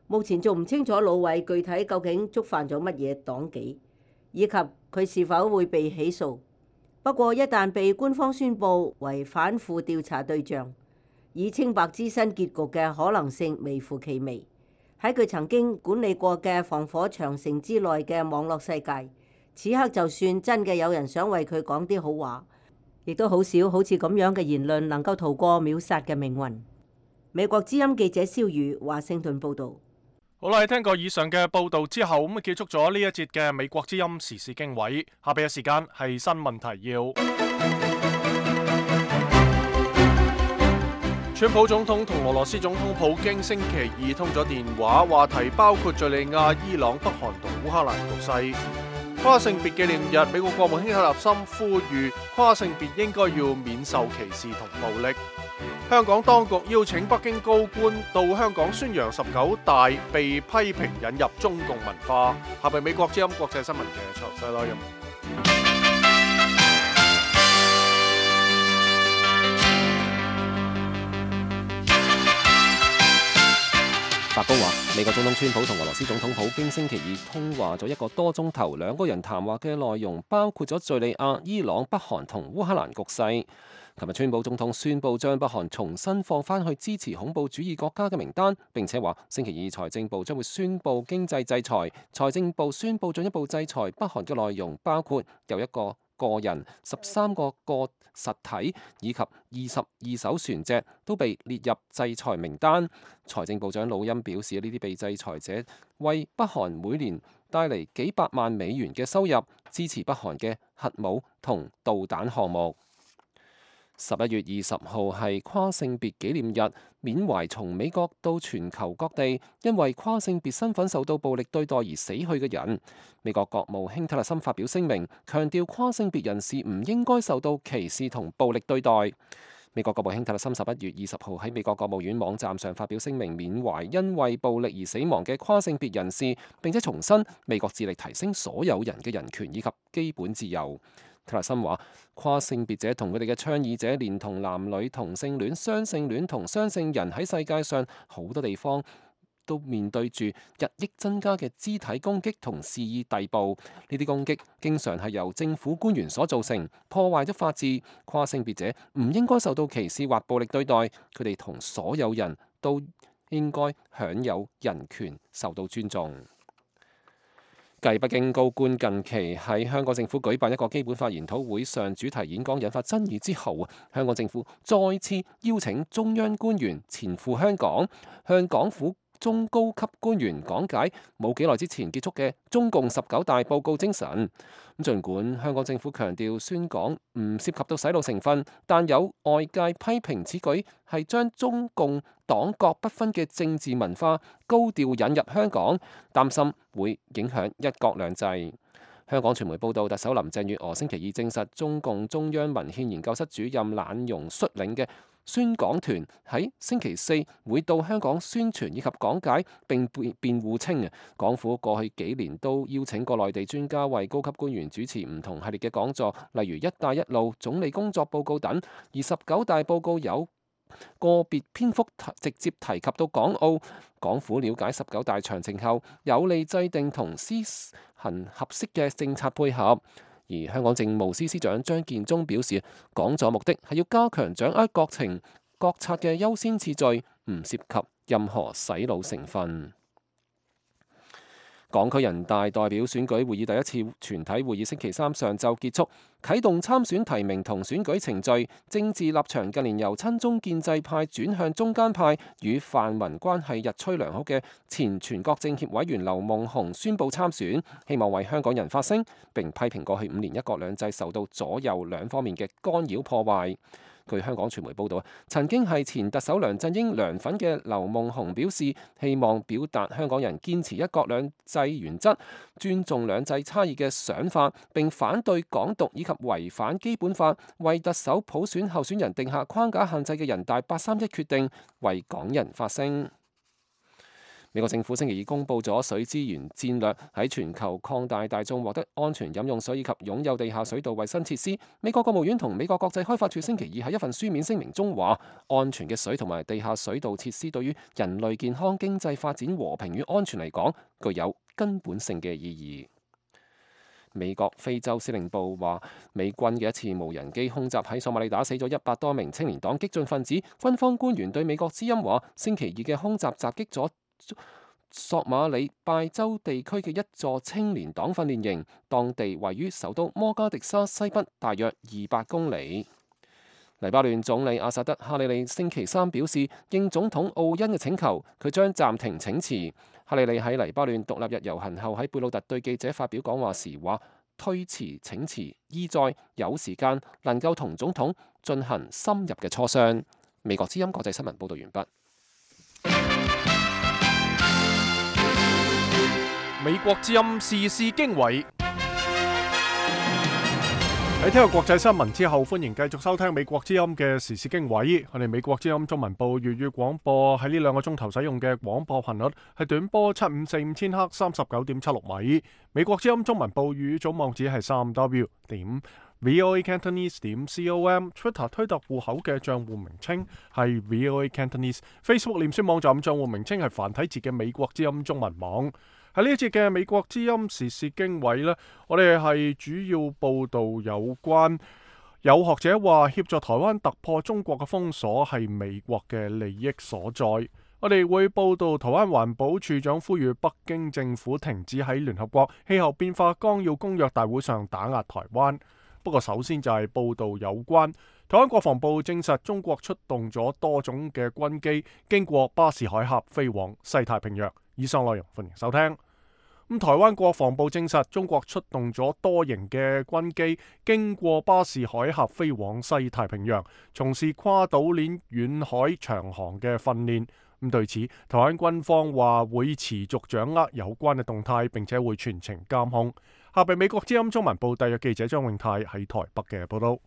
目前仲唔清楚魯偉具體究竟觸犯咗乜嘢黨紀，以及佢是否會被起訴。不過一旦被官方宣佈為反腐調查對象，以清白之身結局嘅可能性微乎其微。喺佢曾經管理過嘅防火長城之內嘅網絡世界，此刻就算真嘅有人想為佢講啲好話，亦都好少好似咁樣嘅言論能夠逃過秒殺嘅命運。美國之音記者蕭宇華盛頓報導。好啦，聽過以上嘅報導之後，咁結束咗呢一節嘅美國之音時事經緯。下邊嘅時間係新聞提要。川普總統同俄羅斯總統普京星期二通咗電話，話題包括敘利亞、伊朗、北韓同烏克蘭局勢。跨性別紀念日，美國國務卿克立森呼籲跨性別應該要免受歧視同暴力。香港當局邀請北京高官到香港宣揚19大，被批評引入中共文化。下邊美國之音國際新聞嘅詳細內容。白宮話，美國總統川普同俄羅斯總統普京星期二通話咗1個多鐘頭，兩個人談話嘅內容包括咗敘利亞、伊朗、北韓同烏克蘭局勢。琴日川普總統宣布將北韓重新放返去支持恐怖主義國家嘅名單，並且話星期二財政部將會宣布經濟制裁。財政部宣布進一步制裁北韓嘅內容包括有1個個人、13個實體以及22艘船隻都被列入制裁名單。財政部長魯欽表示，呢啲被制裁者為北韓每年帶嚟幾百萬美元嘅收入，支持北韓嘅核武同導彈項目。11月20號係跨性別紀念日，緬懷從美國到全球各地因為跨性別身份受到暴力對待而死去嘅人。美國國務卿特勒森發表聲明，強調跨性別人士唔應該受到歧視同暴力對待。美國國務卿特勒森11月20號喺美國國務院網站上發表聲明，緬懷因為暴力而死亡嘅跨性別人士，並且重申美國致力提升所有人嘅人權以及基本自由。特勒森話，跨性別者同佢哋嘅倡議者，連同男女同性戀、雙性戀同雙性人喺世界上好多地方都面對住日益增加嘅肢體攻擊同肆意逮捕。呢啲攻擊經常係由政府官員所造成，破壞咗法治。跨性別者唔應該受到歧視或暴力對待，佢哋同所有人都應該享有人權，受到尊重。繼北京高官近期喺香港政府舉辦一個基本法研討會上主題演講引發爭議之後，香港政府再次邀請中央官員前赴香港，向港府中高級官員講解冇幾耐之前結束嘅中共19大報告精神。儘管香港政府強調宣講唔涉及到洗腦成分，但有外界批評此舉係將中共黨國不分嘅政治文化高調引入香港，擔心會影響一國兩制。香港傳媒報道，特首林鄭月娥星期二證實，中共中央文獻研究室主任懶容率領嘅宣講團喺星期四會到香港宣傳以及講解，並辯護稱港府過去幾年都邀請過內地專家為高級官員主持唔同系列嘅講座，例如一帶一路、總理工作報告等，而19大報告有個別篇幅直接提及到港澳。港府了解19大詳情後，有利制定同施行合適嘅政策配合。而香港政務司司長張建宗表示，講座目的係要加強掌握國情國策嘅優先次序，唔涉及任何洗腦成分。港區人大代表選舉會議第一次全體會議星期三上晝結束，啟動參選提名同選舉程序。政治立場近年由親中建制派轉向中間派，與泛民關係日趨良好嘅前全國政協委員劉夢熊宣布參選，希望為香港人發聲，並批評過去5年一國兩制受到左右兩方面嘅干擾破壞。據香港傳媒報導，曾經係前特首梁振英梁粉嘅劉夢熊表示，希望表達香港人堅持一國兩制原則、尊重兩制差異嘅想法，並反對港獨以及違反基本法、為特首普選候選人定下框架限制嘅人大831決定，為港人發聲。美國政府星期二公布咗水資源戰略，喺全球擴大大眾獲得安全飲用水以及擁有地下水道衛生設施。美國國務院同美國國際開發署星期二喺一份書面聲明中話，安全嘅水同埋地下水道設施對於人類健康、經濟發展、和平與安全嚟講，具有根本性嘅意義。美國非洲司令部話，美軍嘅一次無人機空襲喺索馬里打死咗100多名青年黨激進分子。軍方官員對美國之音話，星期二嘅空襲襲擊咗索馬里拜州地區嘅一座青年黨訓練營，當地位於首都摩加迪沙西北大約200公里。黎巴嫩總理阿薩德哈里利星期三表示，應總統奧恩嘅請求，佢將暫停請辭。哈里利喺黎巴嫩獨立日遊行後喺貝魯特對記者發表講話時話，推遲請辭意在有時間能夠同總統進行深入嘅磋商。美國之音國際新聞報道完畢。美國之音時事經緯。喺聽過國際新聞之後，歡迎繼續收聽美國之音嘅時事經緯。我哋美國之音中文部粵語廣播喺呢2個鐘頭使用嘅廣播頻率係短波7545千赫39.76米。美國之音中文部粵語總網址係3w.voacantonese.com。Twitter 推特戶口嘅賬戶名稱係 voacantonese。Facebook 臉書網站賬戶名稱係繁體字嘅美國之音中文網。喺呢一節嘅美國之音時事經緯呢，我哋係主要報道有關有學者話協助台灣突破中國嘅封鎖係美國嘅利益所在。我哋會報道台灣環保署長呼籲北京政府停止喺聯合國氣候變化綱要公約大會上打壓台灣。不過首先就係報道有關台灣國防部證實中國出動咗多種嘅軍機經過巴士海峽飛往西太平洋。以上內容歡迎收聽。台灣國防部證實中國出動咗多型嘅軍機經過巴士海峽飛往西太平洋，從事跨島鏈遠海長航嘅訓練。對此，台灣軍方話會持續掌握有關嘅動態，並且會全程監控。下邊美國之音中文部特約記者張永泰喺台北嘅報道。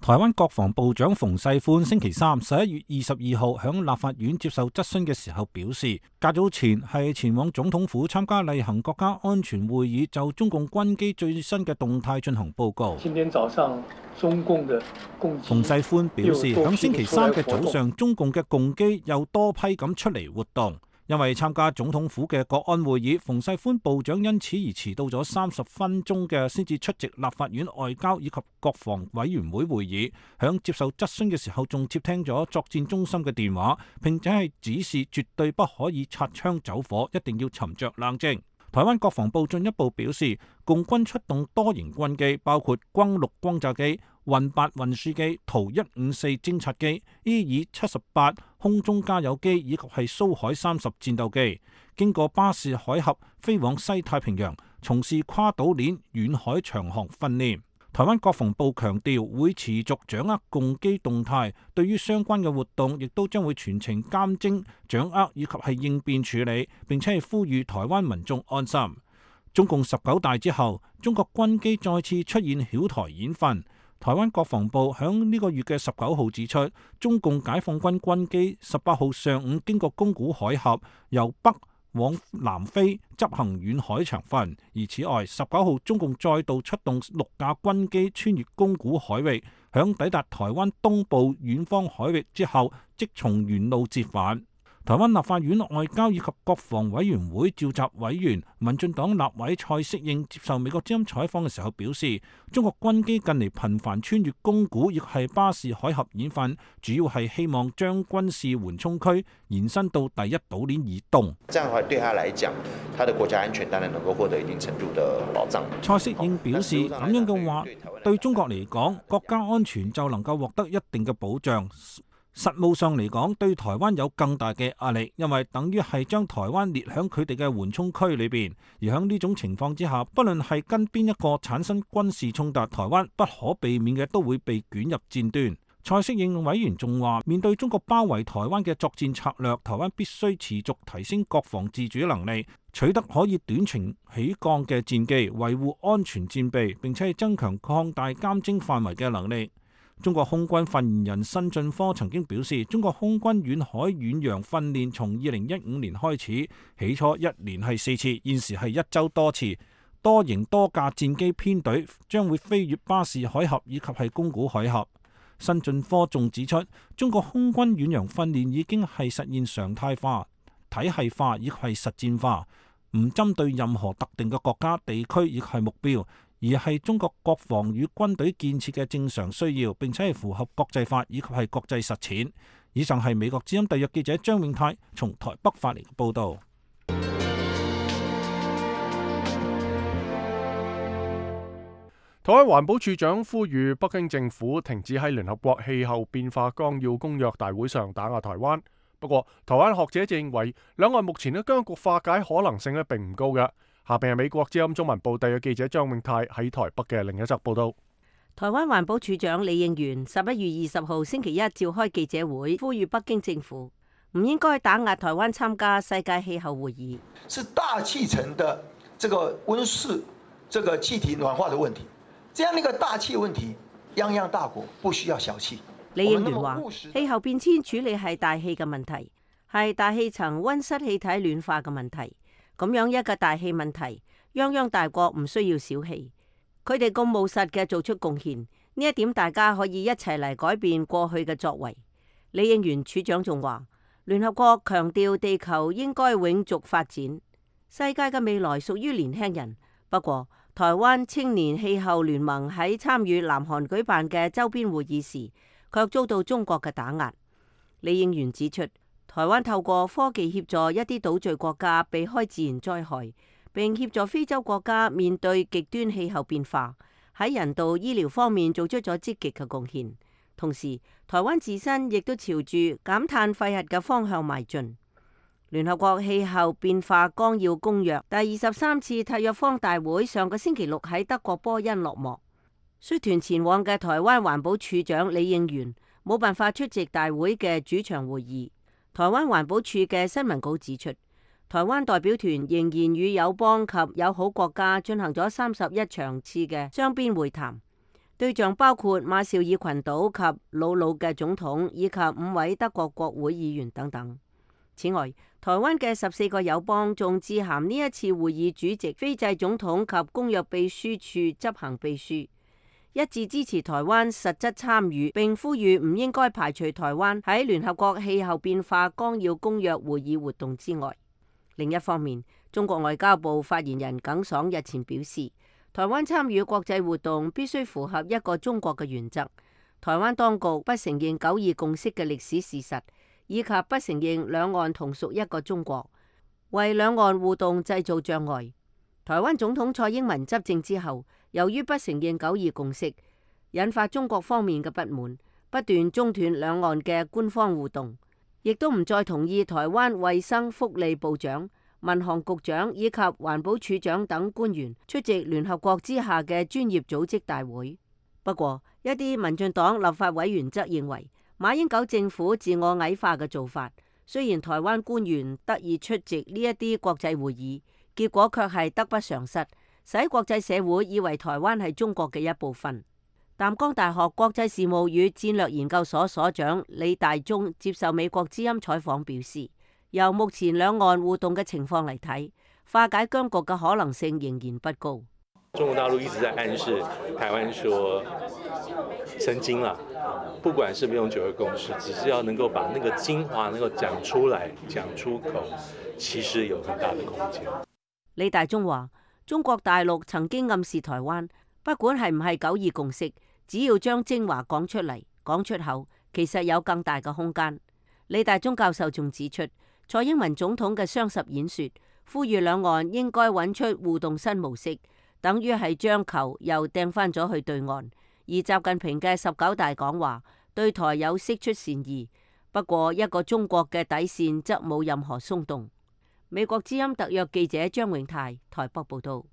台灣國防部長馮世寬星期三11月22號響立法院接受質詢嘅時候表示，較早前係前往總統府參加例行國家安全會議，就中共軍機最新嘅動態進行報告。今天早上中共的共機，馮世寬表示，響星期三嘅早上，中共嘅共機又多批咁出嚟活動。因為參加總統府嘅國安會議，馮世寬部長因此而遲到咗30分鐘嘅，先至出席立法院外交以及國防委員會會議。響接受質詢嘅時候，仲接聽咗作戰中心嘅電話，並且係指示絕對不可以擦槍走火，一定要沉着冷靜。台灣國防部進一步表示，共軍出動多型軍機，包括轟6轟炸機、運8運輸機、圖154偵察機、EE-78空中加油機以及係蘇海30戰鬥機，經過巴士海峽飛往西太平洋，從事跨島鏈遠海長航訓練。台灣國防部強調會持續掌握共機動態，對於相關嘅活動亦都將會全程監偵、掌握以及係應變處理，並且係呼籲台灣民眾安心。中共19大之後，中國軍機再次出現曉台演訓。台灣國防部響呢個月嘅19號指出，中共解放軍軍機18號上午經過宮古海峽，由北往南飛執行遠海長訓。而此外，19號中共再度出動6架軍機穿越宮古海域，響抵達台灣東部遠方海域之後，即從原路折返。台灣立法院外交以及國防委員會召集委員民進黨立委蔡適應接受美國之音採訪嘅時候表示，中國軍機近嚟頻繁穿越宮古亦係巴士海峽演訓，主要係希望將軍事緩衝區延伸到第一島鏈以東。這樣的話對他來講，他的國家安全當然能夠獲得一定程度的保障。蔡適應表示，咁樣嘅話對中國嚟講，國家安全就能夠獲得一定嘅保障。實務上嚟講，對台灣有更大嘅壓力，因為等於係將台灣列響佢哋嘅緩衝區裏邊。而喺呢種情況之下，不論係跟邊一個產生軍事衝突，台灣不可避免嘅都會被捲入戰端。蔡適應委員仲話，面對中國包圍台灣嘅作戰策略，台灣必須持續提升國防自主能力，取得可以短程起降嘅戰機，維護安全戰備，並且係增強擴大監偵範圍嘅能力。中國空軍發言人辛俊科曾經表示，中國空軍遠海遠洋訓練從2015年開始，起初一年係4次，現時係1週多次，多型多架戰機編隊將會飛越巴士海峽以及係宮古海峽。辛俊科仲指出，中國空軍遠洋訓練已經係實現常態化、體系化以及係實戰化，唔針對任何特定嘅國家、地區亦係目標，而係中國國防與軍隊建設嘅正常需要，並且係符合國際法以及係國際實踐。以上係美國之音特約記者張永泰從台北發嚟嘅報道。台灣環保署長呼籲北京政府停止喺聯合國氣候變化綱要公約大會上打壓台灣。不過，台灣學者就認為兩岸目前嘅僵局化解可能性並唔高嘅。下邊係美國之音中文部特約記者張永泰喺台北嘅另一則報道。台灣環保署長李應元11月20號星期一召開記者會，呼籲北京政府唔應該打壓台灣參加世界氣候會議。是大氣層的這個溫室、這個氣體暖化的問題，這樣一個大氣問題，泱泱大國不需要小氣。李應元話：氣候變遷處理係大氣嘅問題，係大氣層溫室氣體暖化嘅問題。咁樣一個大氣問題，泱泱大國唔需要小氣，佢哋咁務實嘅做出貢獻，呢一點大家可以一齊嚟改變過去嘅作為。李應元處長仲話：聯合國強調地球應該永續發展，世界嘅未來屬於年輕人。不過，台灣青年氣候聯盟喺參與南韓舉辦嘅周邊會議時，卻遭到中國嘅打壓。李應元指出，台灣透過科技協助一啲島嶼國家避開自然災害，並協助非洲國家面對極端氣候變化，喺人道醫療方面做出咗積極嘅貢獻。同時，台灣自身亦都朝住減碳廢核嘅方向邁進。聯合國氣候變化綱要公約第23次締約方大會上個星期六喺德國波恩落幕。率團前往嘅台灣環保署長李應元冇辦法出席大會嘅主場會議。台灣環保署嘅新聞稿指出，台灣代表團仍然與友邦及友好國家進行咗31場次嘅雙邊會談，對象包括馬紹爾群島及魯魯嘅總統以及5位德國國會議員等等。此外，台灣嘅14個友邦仲致函呢一次會議主席斐濟總統及公約秘書處執行秘書，一致支持台灣實質參與，並呼籲唔應該排除台灣喺聯合國氣候變化綱要公約會議活動之外。另一方面，中國外交部發言人耿爽日前表示，台灣參與國際活動必須符合一個中國嘅原則。台灣當局不承認9·2共識嘅歷史事實，以及不承認兩岸同屬一個中國，為兩岸互動製造障礙。台灣總統蔡英文執政之後，由於不承認9·2共識，引發中國方面嘅不滿，不斷中斷兩岸嘅官方互動，亦都唔再同意台灣衛生福利部長、民航局長以及環保署長等官員出席聯合國之下嘅專業組織大會。不過，一啲民進黨立法委員則認為，馬英九政府自我矮化嘅做法，雖然台灣官員得以出席呢一啲國際會議，結果卻係得不償失，使國際社會以為台灣係中國嘅一部分。淡江大學國際事務與戰略研究所所長李大中接受美國之音採訪表示，由目前兩岸互動嘅情況嚟睇，化解僵局嘅可能性仍然不高。中國大陸一直在暗示台灣說神經啦，不管是不用9·2共識，只是要能夠把那個精華能夠講出來、講出口，其實有很大的空間。李大中話：中國大陸曾經暗示台灣，不管係唔係9·2共識，只要將精華講出嚟、講出口，其實有更大嘅空間。李大中教授仲指出，蔡英文總統嘅雙十演說，呼籲兩岸應該揾出互動新模式，等於係將球又掟翻咗去對岸。而習近平嘅19大講話對台有釋出善意，不過一個中國嘅底線則冇任何鬆動。美國之音特約記者張永泰台北報道。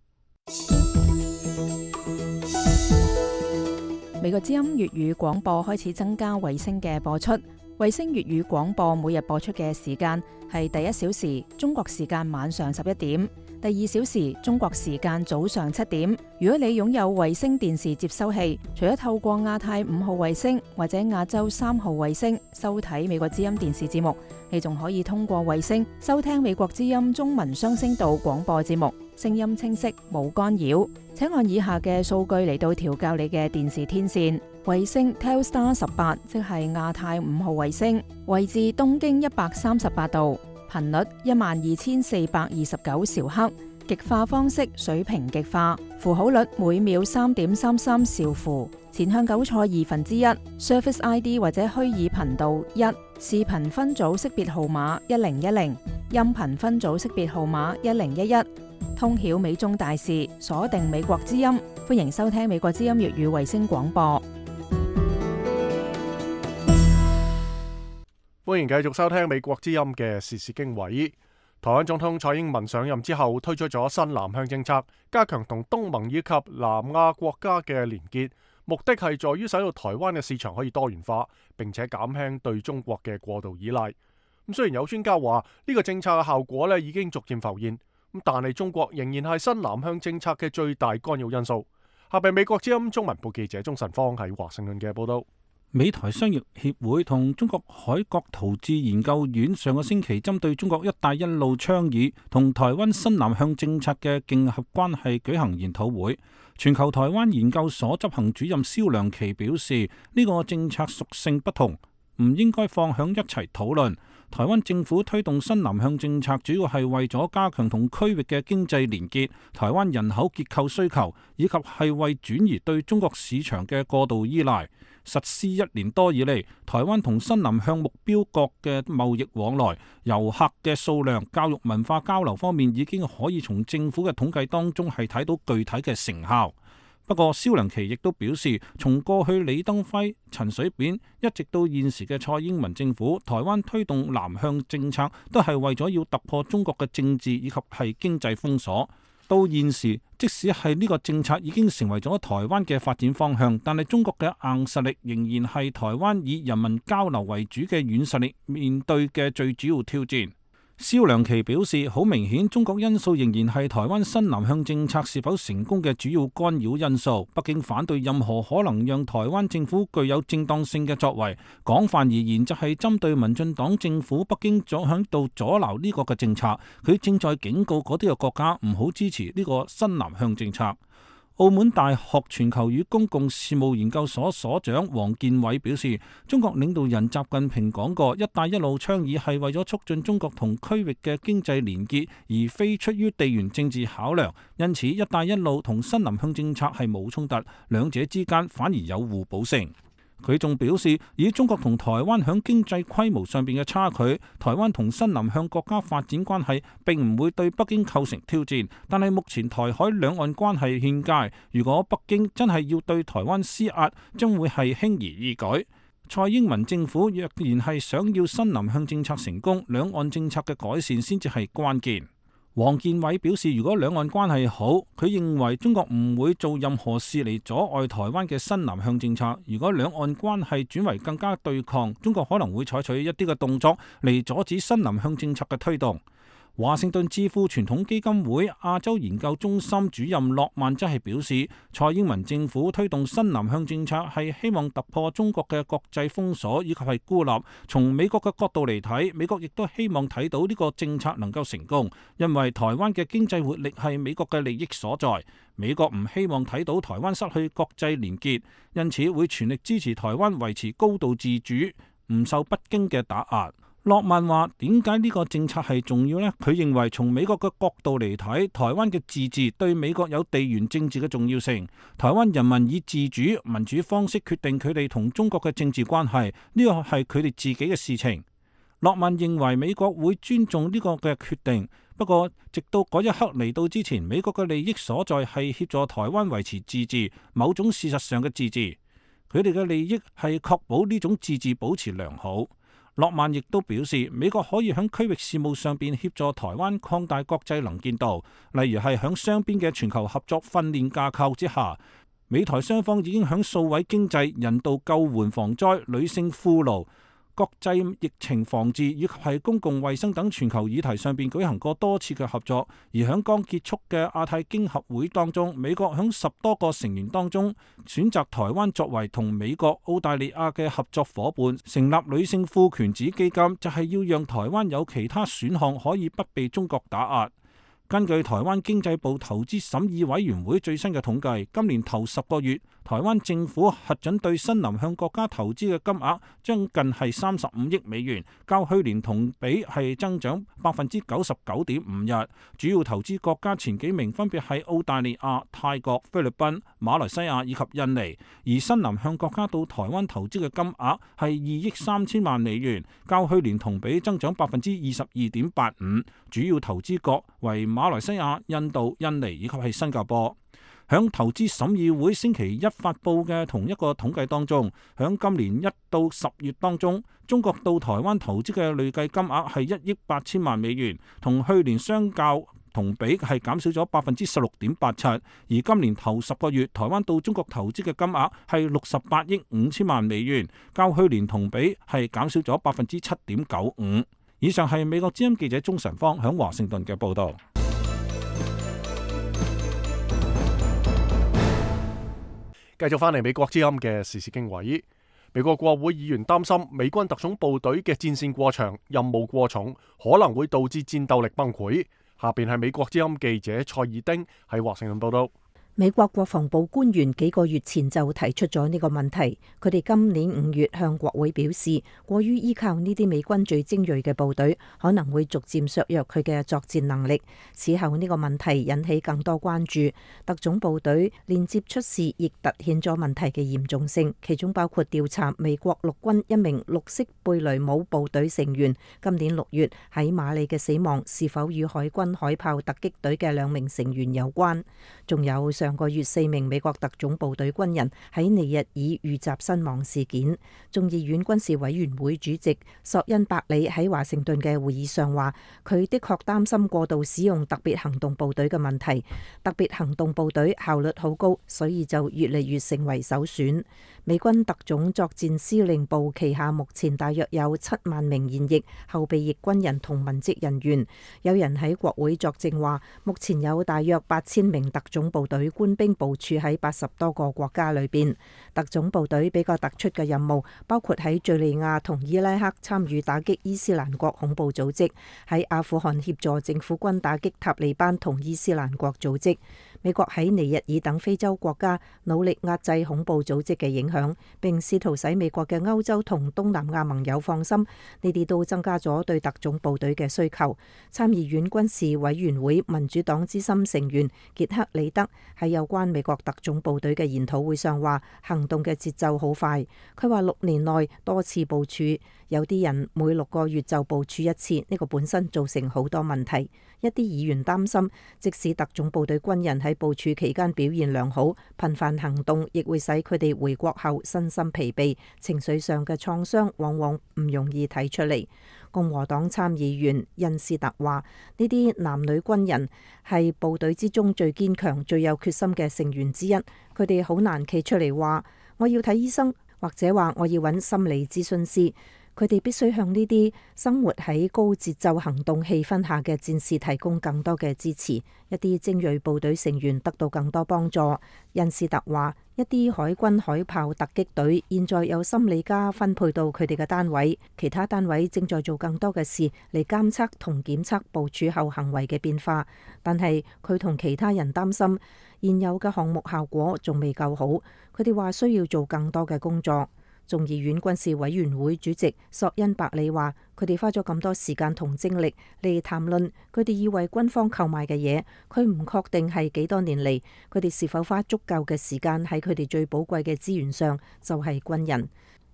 美國之音粵語廣播開始增加衛星嘅播出，衛星粵語廣播每日播出嘅時間係第1小時中國時間晚上11點，第2小時中國時間早上7點。如果你擁有衛星電視接收器，除咗透過亞太5號衛星或者亞洲3號衛星收睇美國之音電視節目，你仲可以通過衛星收聽美國之音中文雙聲道廣播節目，聲音清晰冇干擾。請按以下嘅數據嚟到調校你嘅電視天線。衛星 Telstar 18，即係亞太5號衛星，位置東經138度，頻率12429兆赫，極化方式水平極化，符號率每秒3.33兆符，前向9錯1/2，Surface ID 或者虛擬頻道1，視頻分組識別號碼1010，音頻分組識別號碼1011，通曉美中大事，鎖定美國之音。歡迎收聽美國之音粵語衛星廣播。歡迎繼續收聽美國之音嘅時事經緯。台灣總統蔡英文上任之後，推出咗新南向政策，加強同東盟以及南亞國家嘅連結，目的係在於使到台灣嘅市場可以多元化，並且減輕對中國嘅過度依賴。咁雖然有專家話呢個政策嘅效果咧已經逐漸浮現，咁但係中國仍然係新南向政策嘅最大干擾因素。下邊美國之音中文部記者鍾晨芳喺華盛頓嘅報道。美台商業協會同中國海國陶智研究院上個星期針對中國一帶一路倡議同台灣新南向政策嘅競合關係舉行研討會。全球台灣研究所執行主任蕭良琪表示，呢個政策屬性不同，唔應該放響一齊討論。台灣政府推動新南向政策，主要係為咗加強同區域嘅經濟連結、台灣人口結構需求，以及係為轉移對中國市場嘅過度依賴。實施1年多以嚟，台灣同新南向目標國嘅貿易往來、遊客嘅數量、教育文化交流方面，已經可以從政府嘅統計當中係睇到具體嘅成效。不過，蕭良琪亦都表示，從過去李登輝、陳水扁一直到現時嘅蔡英文政府，台灣推動南向政策都係為咗要突破中國嘅政治以及係經濟封鎖。到現時，即使係呢個政策已經成為咗台灣嘅發展方向，但係中國嘅硬實力仍然係台灣以人民交流為主嘅軟實力面對嘅最主要挑戰。蕭良琪表示，好明顯中國因素仍然係台灣新南向政策是否成功嘅主要干擾因素。北京反對任何可能讓台灣政府具有正當性嘅作為，廣泛而言就係針對民進黨政府。北京仲響度阻撓呢個嘅政策，佢正在警告嗰啲嘅國家唔好支持呢個新南向政策。澳門大學全球與公共事務研究所所長王建偉表示，中國領導人習近平講過，一帶一路倡議係為咗促進中國同區域嘅經濟連結，而非出於地緣政治考量。因此，一帶一路同新南向政策係冇衝突，兩者之間反而有互補性。佢仲表示，以中國同台灣響經濟規模上邊嘅差距，台灣同新南向國家發展關係並唔會對北京構成挑戰。但係目前台海兩岸關係欠佳，如果北京真係要對台灣施壓，將會係輕而易舉。蔡英文政府若然係想要新南向政策成功，兩岸政策嘅改善先至係關鍵。王建偉表示，如果兩岸關係好，佢認為中國唔會做任何事嚟阻礙台灣嘅新南向政策。如果兩岸關係轉為更加對抗，中國可能會採取一啲嘅動作嚟阻止新南向政策嘅推動。華盛頓智庫傳統基金會亞洲研究中心主任諾曼則係表示，蔡英文政府推動新南向政策係希望突破中國嘅國際封鎖以及係孤立。從美國嘅角度嚟睇，美國亦都希望睇到呢個政策能夠成功，因為台灣嘅經濟活力係美國嘅利益所在。美國唔希望睇到台灣失去國際連結，因此會全力支持台灣維持高度自主，唔受北京嘅打壓。諾曼話：點解呢個政策係重要呢？佢認為從美國嘅角度嚟睇，台灣嘅自治對美國有地緣政治嘅重要性。台灣人民以自主民主方式決定佢哋同中國嘅政治關係，呢個係佢哋自己嘅事情。諾曼認為美國會尊重呢個嘅決定，不過直到嗰一刻嚟到之前，美國嘅利益所在係協助台灣維持自治，某種事實上嘅自治。佢哋嘅利益係確保呢種自治保持良好。諾曼亦都表示，美國可以喺區域事務上邊協助台灣擴大國際能見度，例如係喺雙邊嘅全球合作訓練架構之下，美台雙方已經喺數位經濟、人道救援防災、女性俘虜、國際疫情防治以及係公共衛生等全球議題上邊舉行過多次嘅合作。而喺剛結束嘅亞太經合會當中，美國喺10多個成員當中選擇台灣作為同美國、澳大利亞嘅合作夥伴，成立女性賦權子基金，就係要讓台灣有其他選項可以不被中國打壓。根據台灣經濟部投資審議委員會最新嘅統計，今年頭10個月，台灣政府核准對新南向國家投資嘅金額將近係35億美元，較去年同比係增長99.5%。主要投資國家前幾名分別係澳大利亞、泰國、菲律賓、馬來西亞以及印尼，而新南向國家到台灣投資嘅金額係2億3千萬美元，較去年同比增長22.85%。主要投資國為馬來西亞、印度、印尼以及係新加坡。響投資審議會星期一發布嘅同一個統計當中，響今年1到10月當中，中國到台灣投資嘅累計金額係1億8千萬美元，同去年相較同比係減少咗16.87%，而今年頭10個月，台灣到中國投資嘅金額係68億5千萬美元，較去年同比係減少咗7.95%。以上係美國之音記者鍾晨芳響華盛頓嘅報導。繼續翻嚟美國之音嘅時事經緯，美國國會議員擔心美軍特種部隊嘅戰線過長、任務過重，可能會導致戰鬥力崩潰。下邊係美國之音記者蔡爾丁喺華盛頓報道。美國國防部官員幾個月前就提出咗呢個問題，佢哋今年5月向國會表示，過於依靠呢啲美軍最精銳嘅部隊，可能會逐漸削弱佢嘅作戰能力。此後呢個問題引起更多關注，特種部隊連接出事，亦凸顯咗問題嘅嚴重性，其中包括調查美國陸軍一名綠色貝雷姆部隊成員今年6月喺馬里嘅死亡是否與海軍海豹突擊隊嘅2名成員有關，仲有上個月4名美國特種部隊軍人喺尼日爾遇襲身亡事件。眾議院軍事委員會主席索恩伯里喺華盛頓嘅會議上話，佢的確擔心過度使用特別行動部隊嘅問題。特別行動部隊效率好高，所以就越嚟越成為首選。美軍特種作戰司令部旗下目前大約有7萬名現役、後備役軍人同文職人員。有人喺國會作證話，目前有大約8000名特種部隊官兵部署喺80多個國家裏邊。特種部隊比較突出嘅任務包括喺敘利亞同伊拉克參與打擊伊斯蘭國恐怖組織，喺阿富汗協助政府軍打擊塔利班同伊斯蘭國組織。美國喺尼日爾等非洲國家努力壓制恐怖組織嘅影響，並試圖使美國嘅歐洲同東南亞盟友放心，呢啲都增加咗對特種部隊嘅需求。參議院軍事委員會民主黨資深成員傑克里德喺有關美國特種部隊嘅研討會上話，行動嘅節奏好快。佢話6年內多次部署，有啲人每6個月就部署一次，呢個本身造成好多問題。一啲議員擔心，即使特種部隊軍人喺部署期間表現良好，頻繁行動亦會使佢哋回國後身心疲憊，情緒上嘅創傷往往唔容易睇出嚟。共和黨參議員恩斯特話，呢啲男女軍人係部隊之中最堅強、最有決心嘅成員之一，佢哋好難企出嚟話我要睇醫生，或者話我要揾心理諮詢師。佢哋必須向呢啲生活喺高節奏行動氣氛下嘅戰士提供更多嘅支持，一啲精銳部隊成員得到更多幫助。恩斯特話，一啲海軍海豹突擊隊現在有心理家分配到佢哋嘅單位，其他單位正在做更多嘅事嚟監測同檢測部署後行為嘅變化。但係佢同其他人擔心，現有嘅項目效果仲未夠好，佢哋話需要做更多嘅工作。眾議院軍事委員會主席索恩伯里話，佢哋花咗咁多時間同精力嚟談論佢哋要為軍方購買嘅嘢，佢唔確定係幾多年嚟，佢哋是否花足夠嘅時間喺佢哋最寶貴嘅資源上，就係軍人。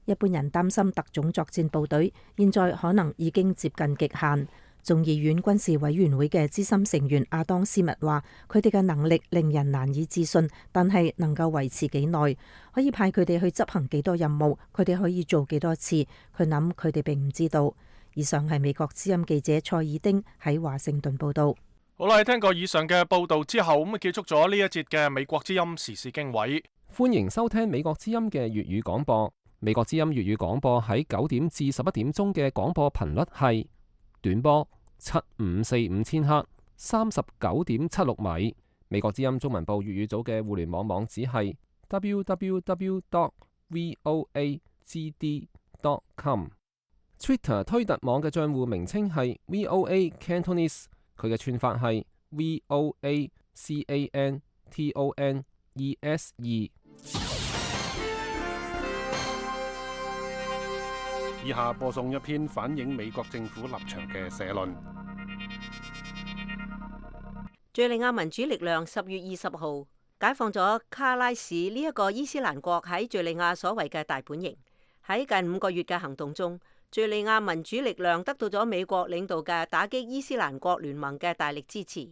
一般人擔心特種作戰部隊現在可能已經接近極限。眾議院軍事委員會嘅資深成員亞當斯密話，佢哋嘅能力令人難以置信，但係能夠維持幾耐，可以派佢哋去執行幾多任務，佢哋可以做幾多次，佢諗佢哋並唔知道。以上係美國之音記者蔡爾丁喺華盛頓報道。好啦，聽過以上嘅報道之後，咁結束咗呢一節嘅美國之音時事經緯。歡迎收聽美國之音嘅粵語廣播。美國之音粵語廣播喺9點至11點鐘嘅廣播頻率係短波7545千赫39.76米。美國之音中文部粵語組嘅互聯網網址係 www.voagd.com。Twitter 推特網嘅賬戶名稱係 VOA Cantonese， 佢嘅串法係 VOACANTONESE。以下播送一篇反映美國政府立場嘅社論。敘利亞民主力量10月20號解放咗卡拉市呢一個伊斯蘭國喺敘利亞所謂嘅大本營。喺近5個月嘅行動中，敘利亞民主力量得到咗美國領導嘅打擊伊斯蘭國聯盟嘅大力支持。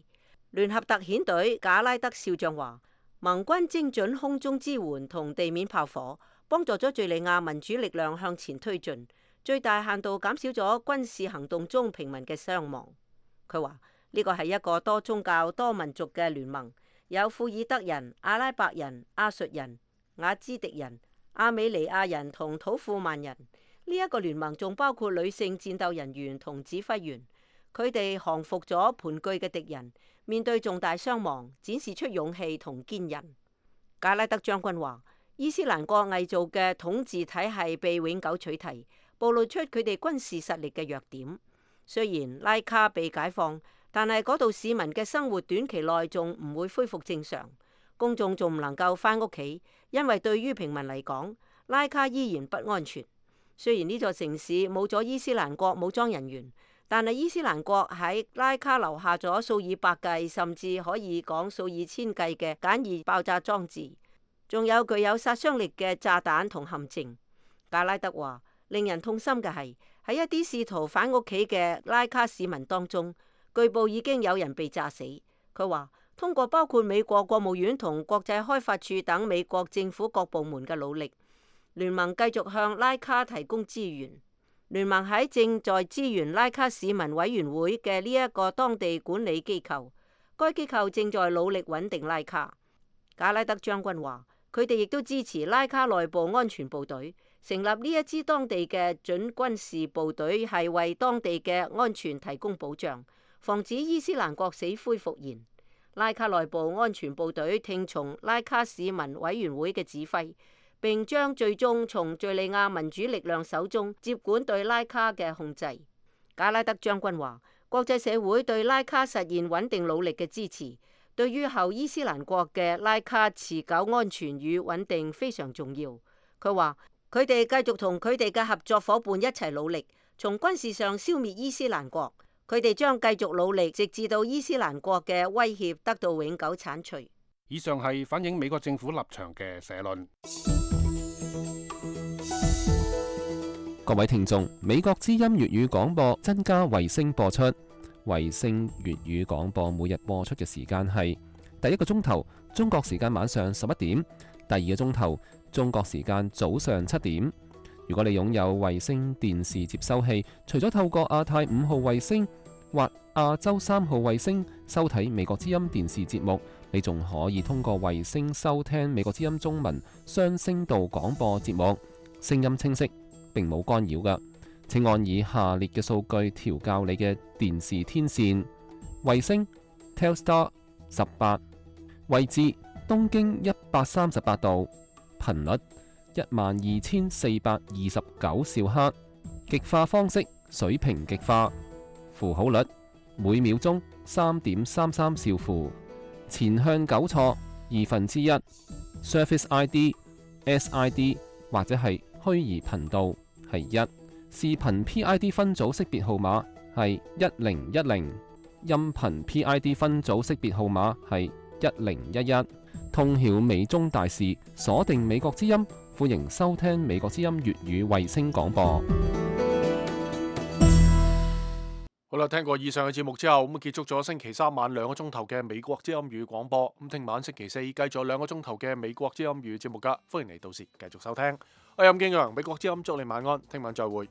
聯合特遣隊賈拉德少將話：盟軍精準空中支援同地面炮火，幫助咗敘利亞民主力量向前推進，最大限度減少咗軍事行動中平民嘅傷亡。佢話呢個係一個多宗教、多民族嘅聯盟，有庫爾德人、阿拉伯人、亞述人、雅茲迪人、亞美尼亞人同土庫曼人。呢一個聯盟仲包括女性戰鬥人員同指揮員，佢哋降服咗盤踞嘅敵人，面對重大傷亡，展示出勇氣同堅韌。賈拉德將軍話：伊斯蘭國偽造嘅統治體系被永久取締，暴露出佢哋軍事實力嘅弱點。雖然拉卡被解放，但係嗰度市民嘅生活短期內仲唔會恢復正常，公眾仲唔能夠返屋企，因為對於平民嚟講，拉卡依然不安全。雖然呢座城市冇咗伊斯蘭國武裝人員，但係伊斯蘭國喺拉卡留下咗數以百計，甚至可以講數以千計嘅簡易爆炸裝置，仲有具有殺傷力嘅炸彈同陷阱。賈拉德話：令人痛心嘅係喺一啲試圖返屋企嘅拉卡市民當中，據報已經有人被炸死。佢話：通過包括美國國務院同國際開發處等美國政府各部門嘅努力，聯盟繼續向拉卡提供資源。聯盟喺正在支援拉卡市民委員會嘅呢一個當地管理機構，該機構正在努力穩定拉卡。賈拉德將軍話：佢哋亦都支持拉卡內部安全部隊，成立呢一支當地嘅準軍事部隊，係為當地嘅安全提供保障，防止伊斯蘭國死灰復燃。拉卡內部安全部隊聽從拉卡市民委員會嘅指揮，並將最終從敘利亞民主力量手中接管對拉卡嘅控制。賈拉德將軍話：國際社會對拉卡實現穩定努力嘅支持，對於後伊斯蘭國嘅拉卡持久安全與穩定非常重要。佢話：佢哋繼續同佢哋嘅合作伙伴一齊努力，從軍事上消滅伊斯蘭國。佢哋將繼續努力，直至到伊斯蘭國嘅威脅得到永久剷除。以上係反映美國政府立場嘅社論。各位聽眾，美國之音粵語廣播增加衛星播出。衛星粵語廣播每日播出嘅時間係第一個鐘頭中國時間晚上11點，第二個鐘頭中國時間早上7點。如果你擁有衛星電視接收器，除咗透過亞太5號衛星或亞洲3號衛星收睇美國之音電視節目，你仲可以通過衛星收聽美國之音中文雙聲道廣播節目，聲音清晰，並冇干擾㗎。請按以下列嘅數據調校你嘅電視天線：衛星 Telstar 18，位置東經138度，頻率12429兆赫，極化方式水平極化，符號率每秒鐘3.33兆符，前向糾錯1/2， Surface ID SID 或者係虛擬頻道係1，視頻 PID 分組識別號碼係1010，音頻 PID 分組識別號碼係1011。通曉美中大事，鎖定美國之音，歡迎收聽美國之音粵語衛星廣播。好啦，聽過以上嘅節目之後，咁結束咗星期三晚2個鐘頭嘅美國之音語廣播。咁聽晚星期四繼續2個鐘頭嘅美國之音語節目噶，歡迎你到時繼續收聽。我係任敬揚，美國之音祝你晚安，聽晚再會。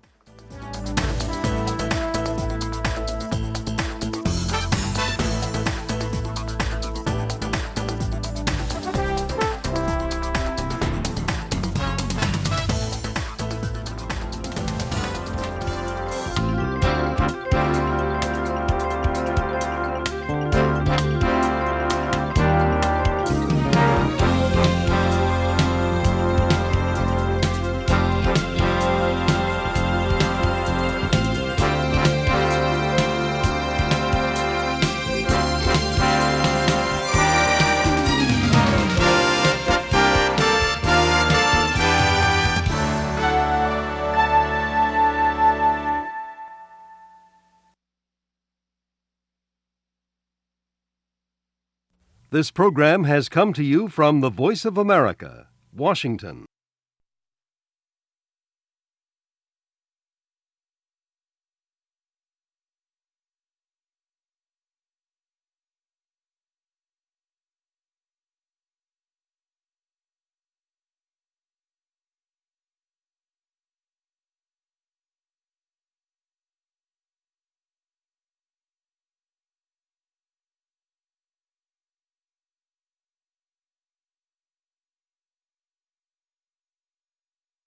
This program has come to you from the Voice of America, Washington.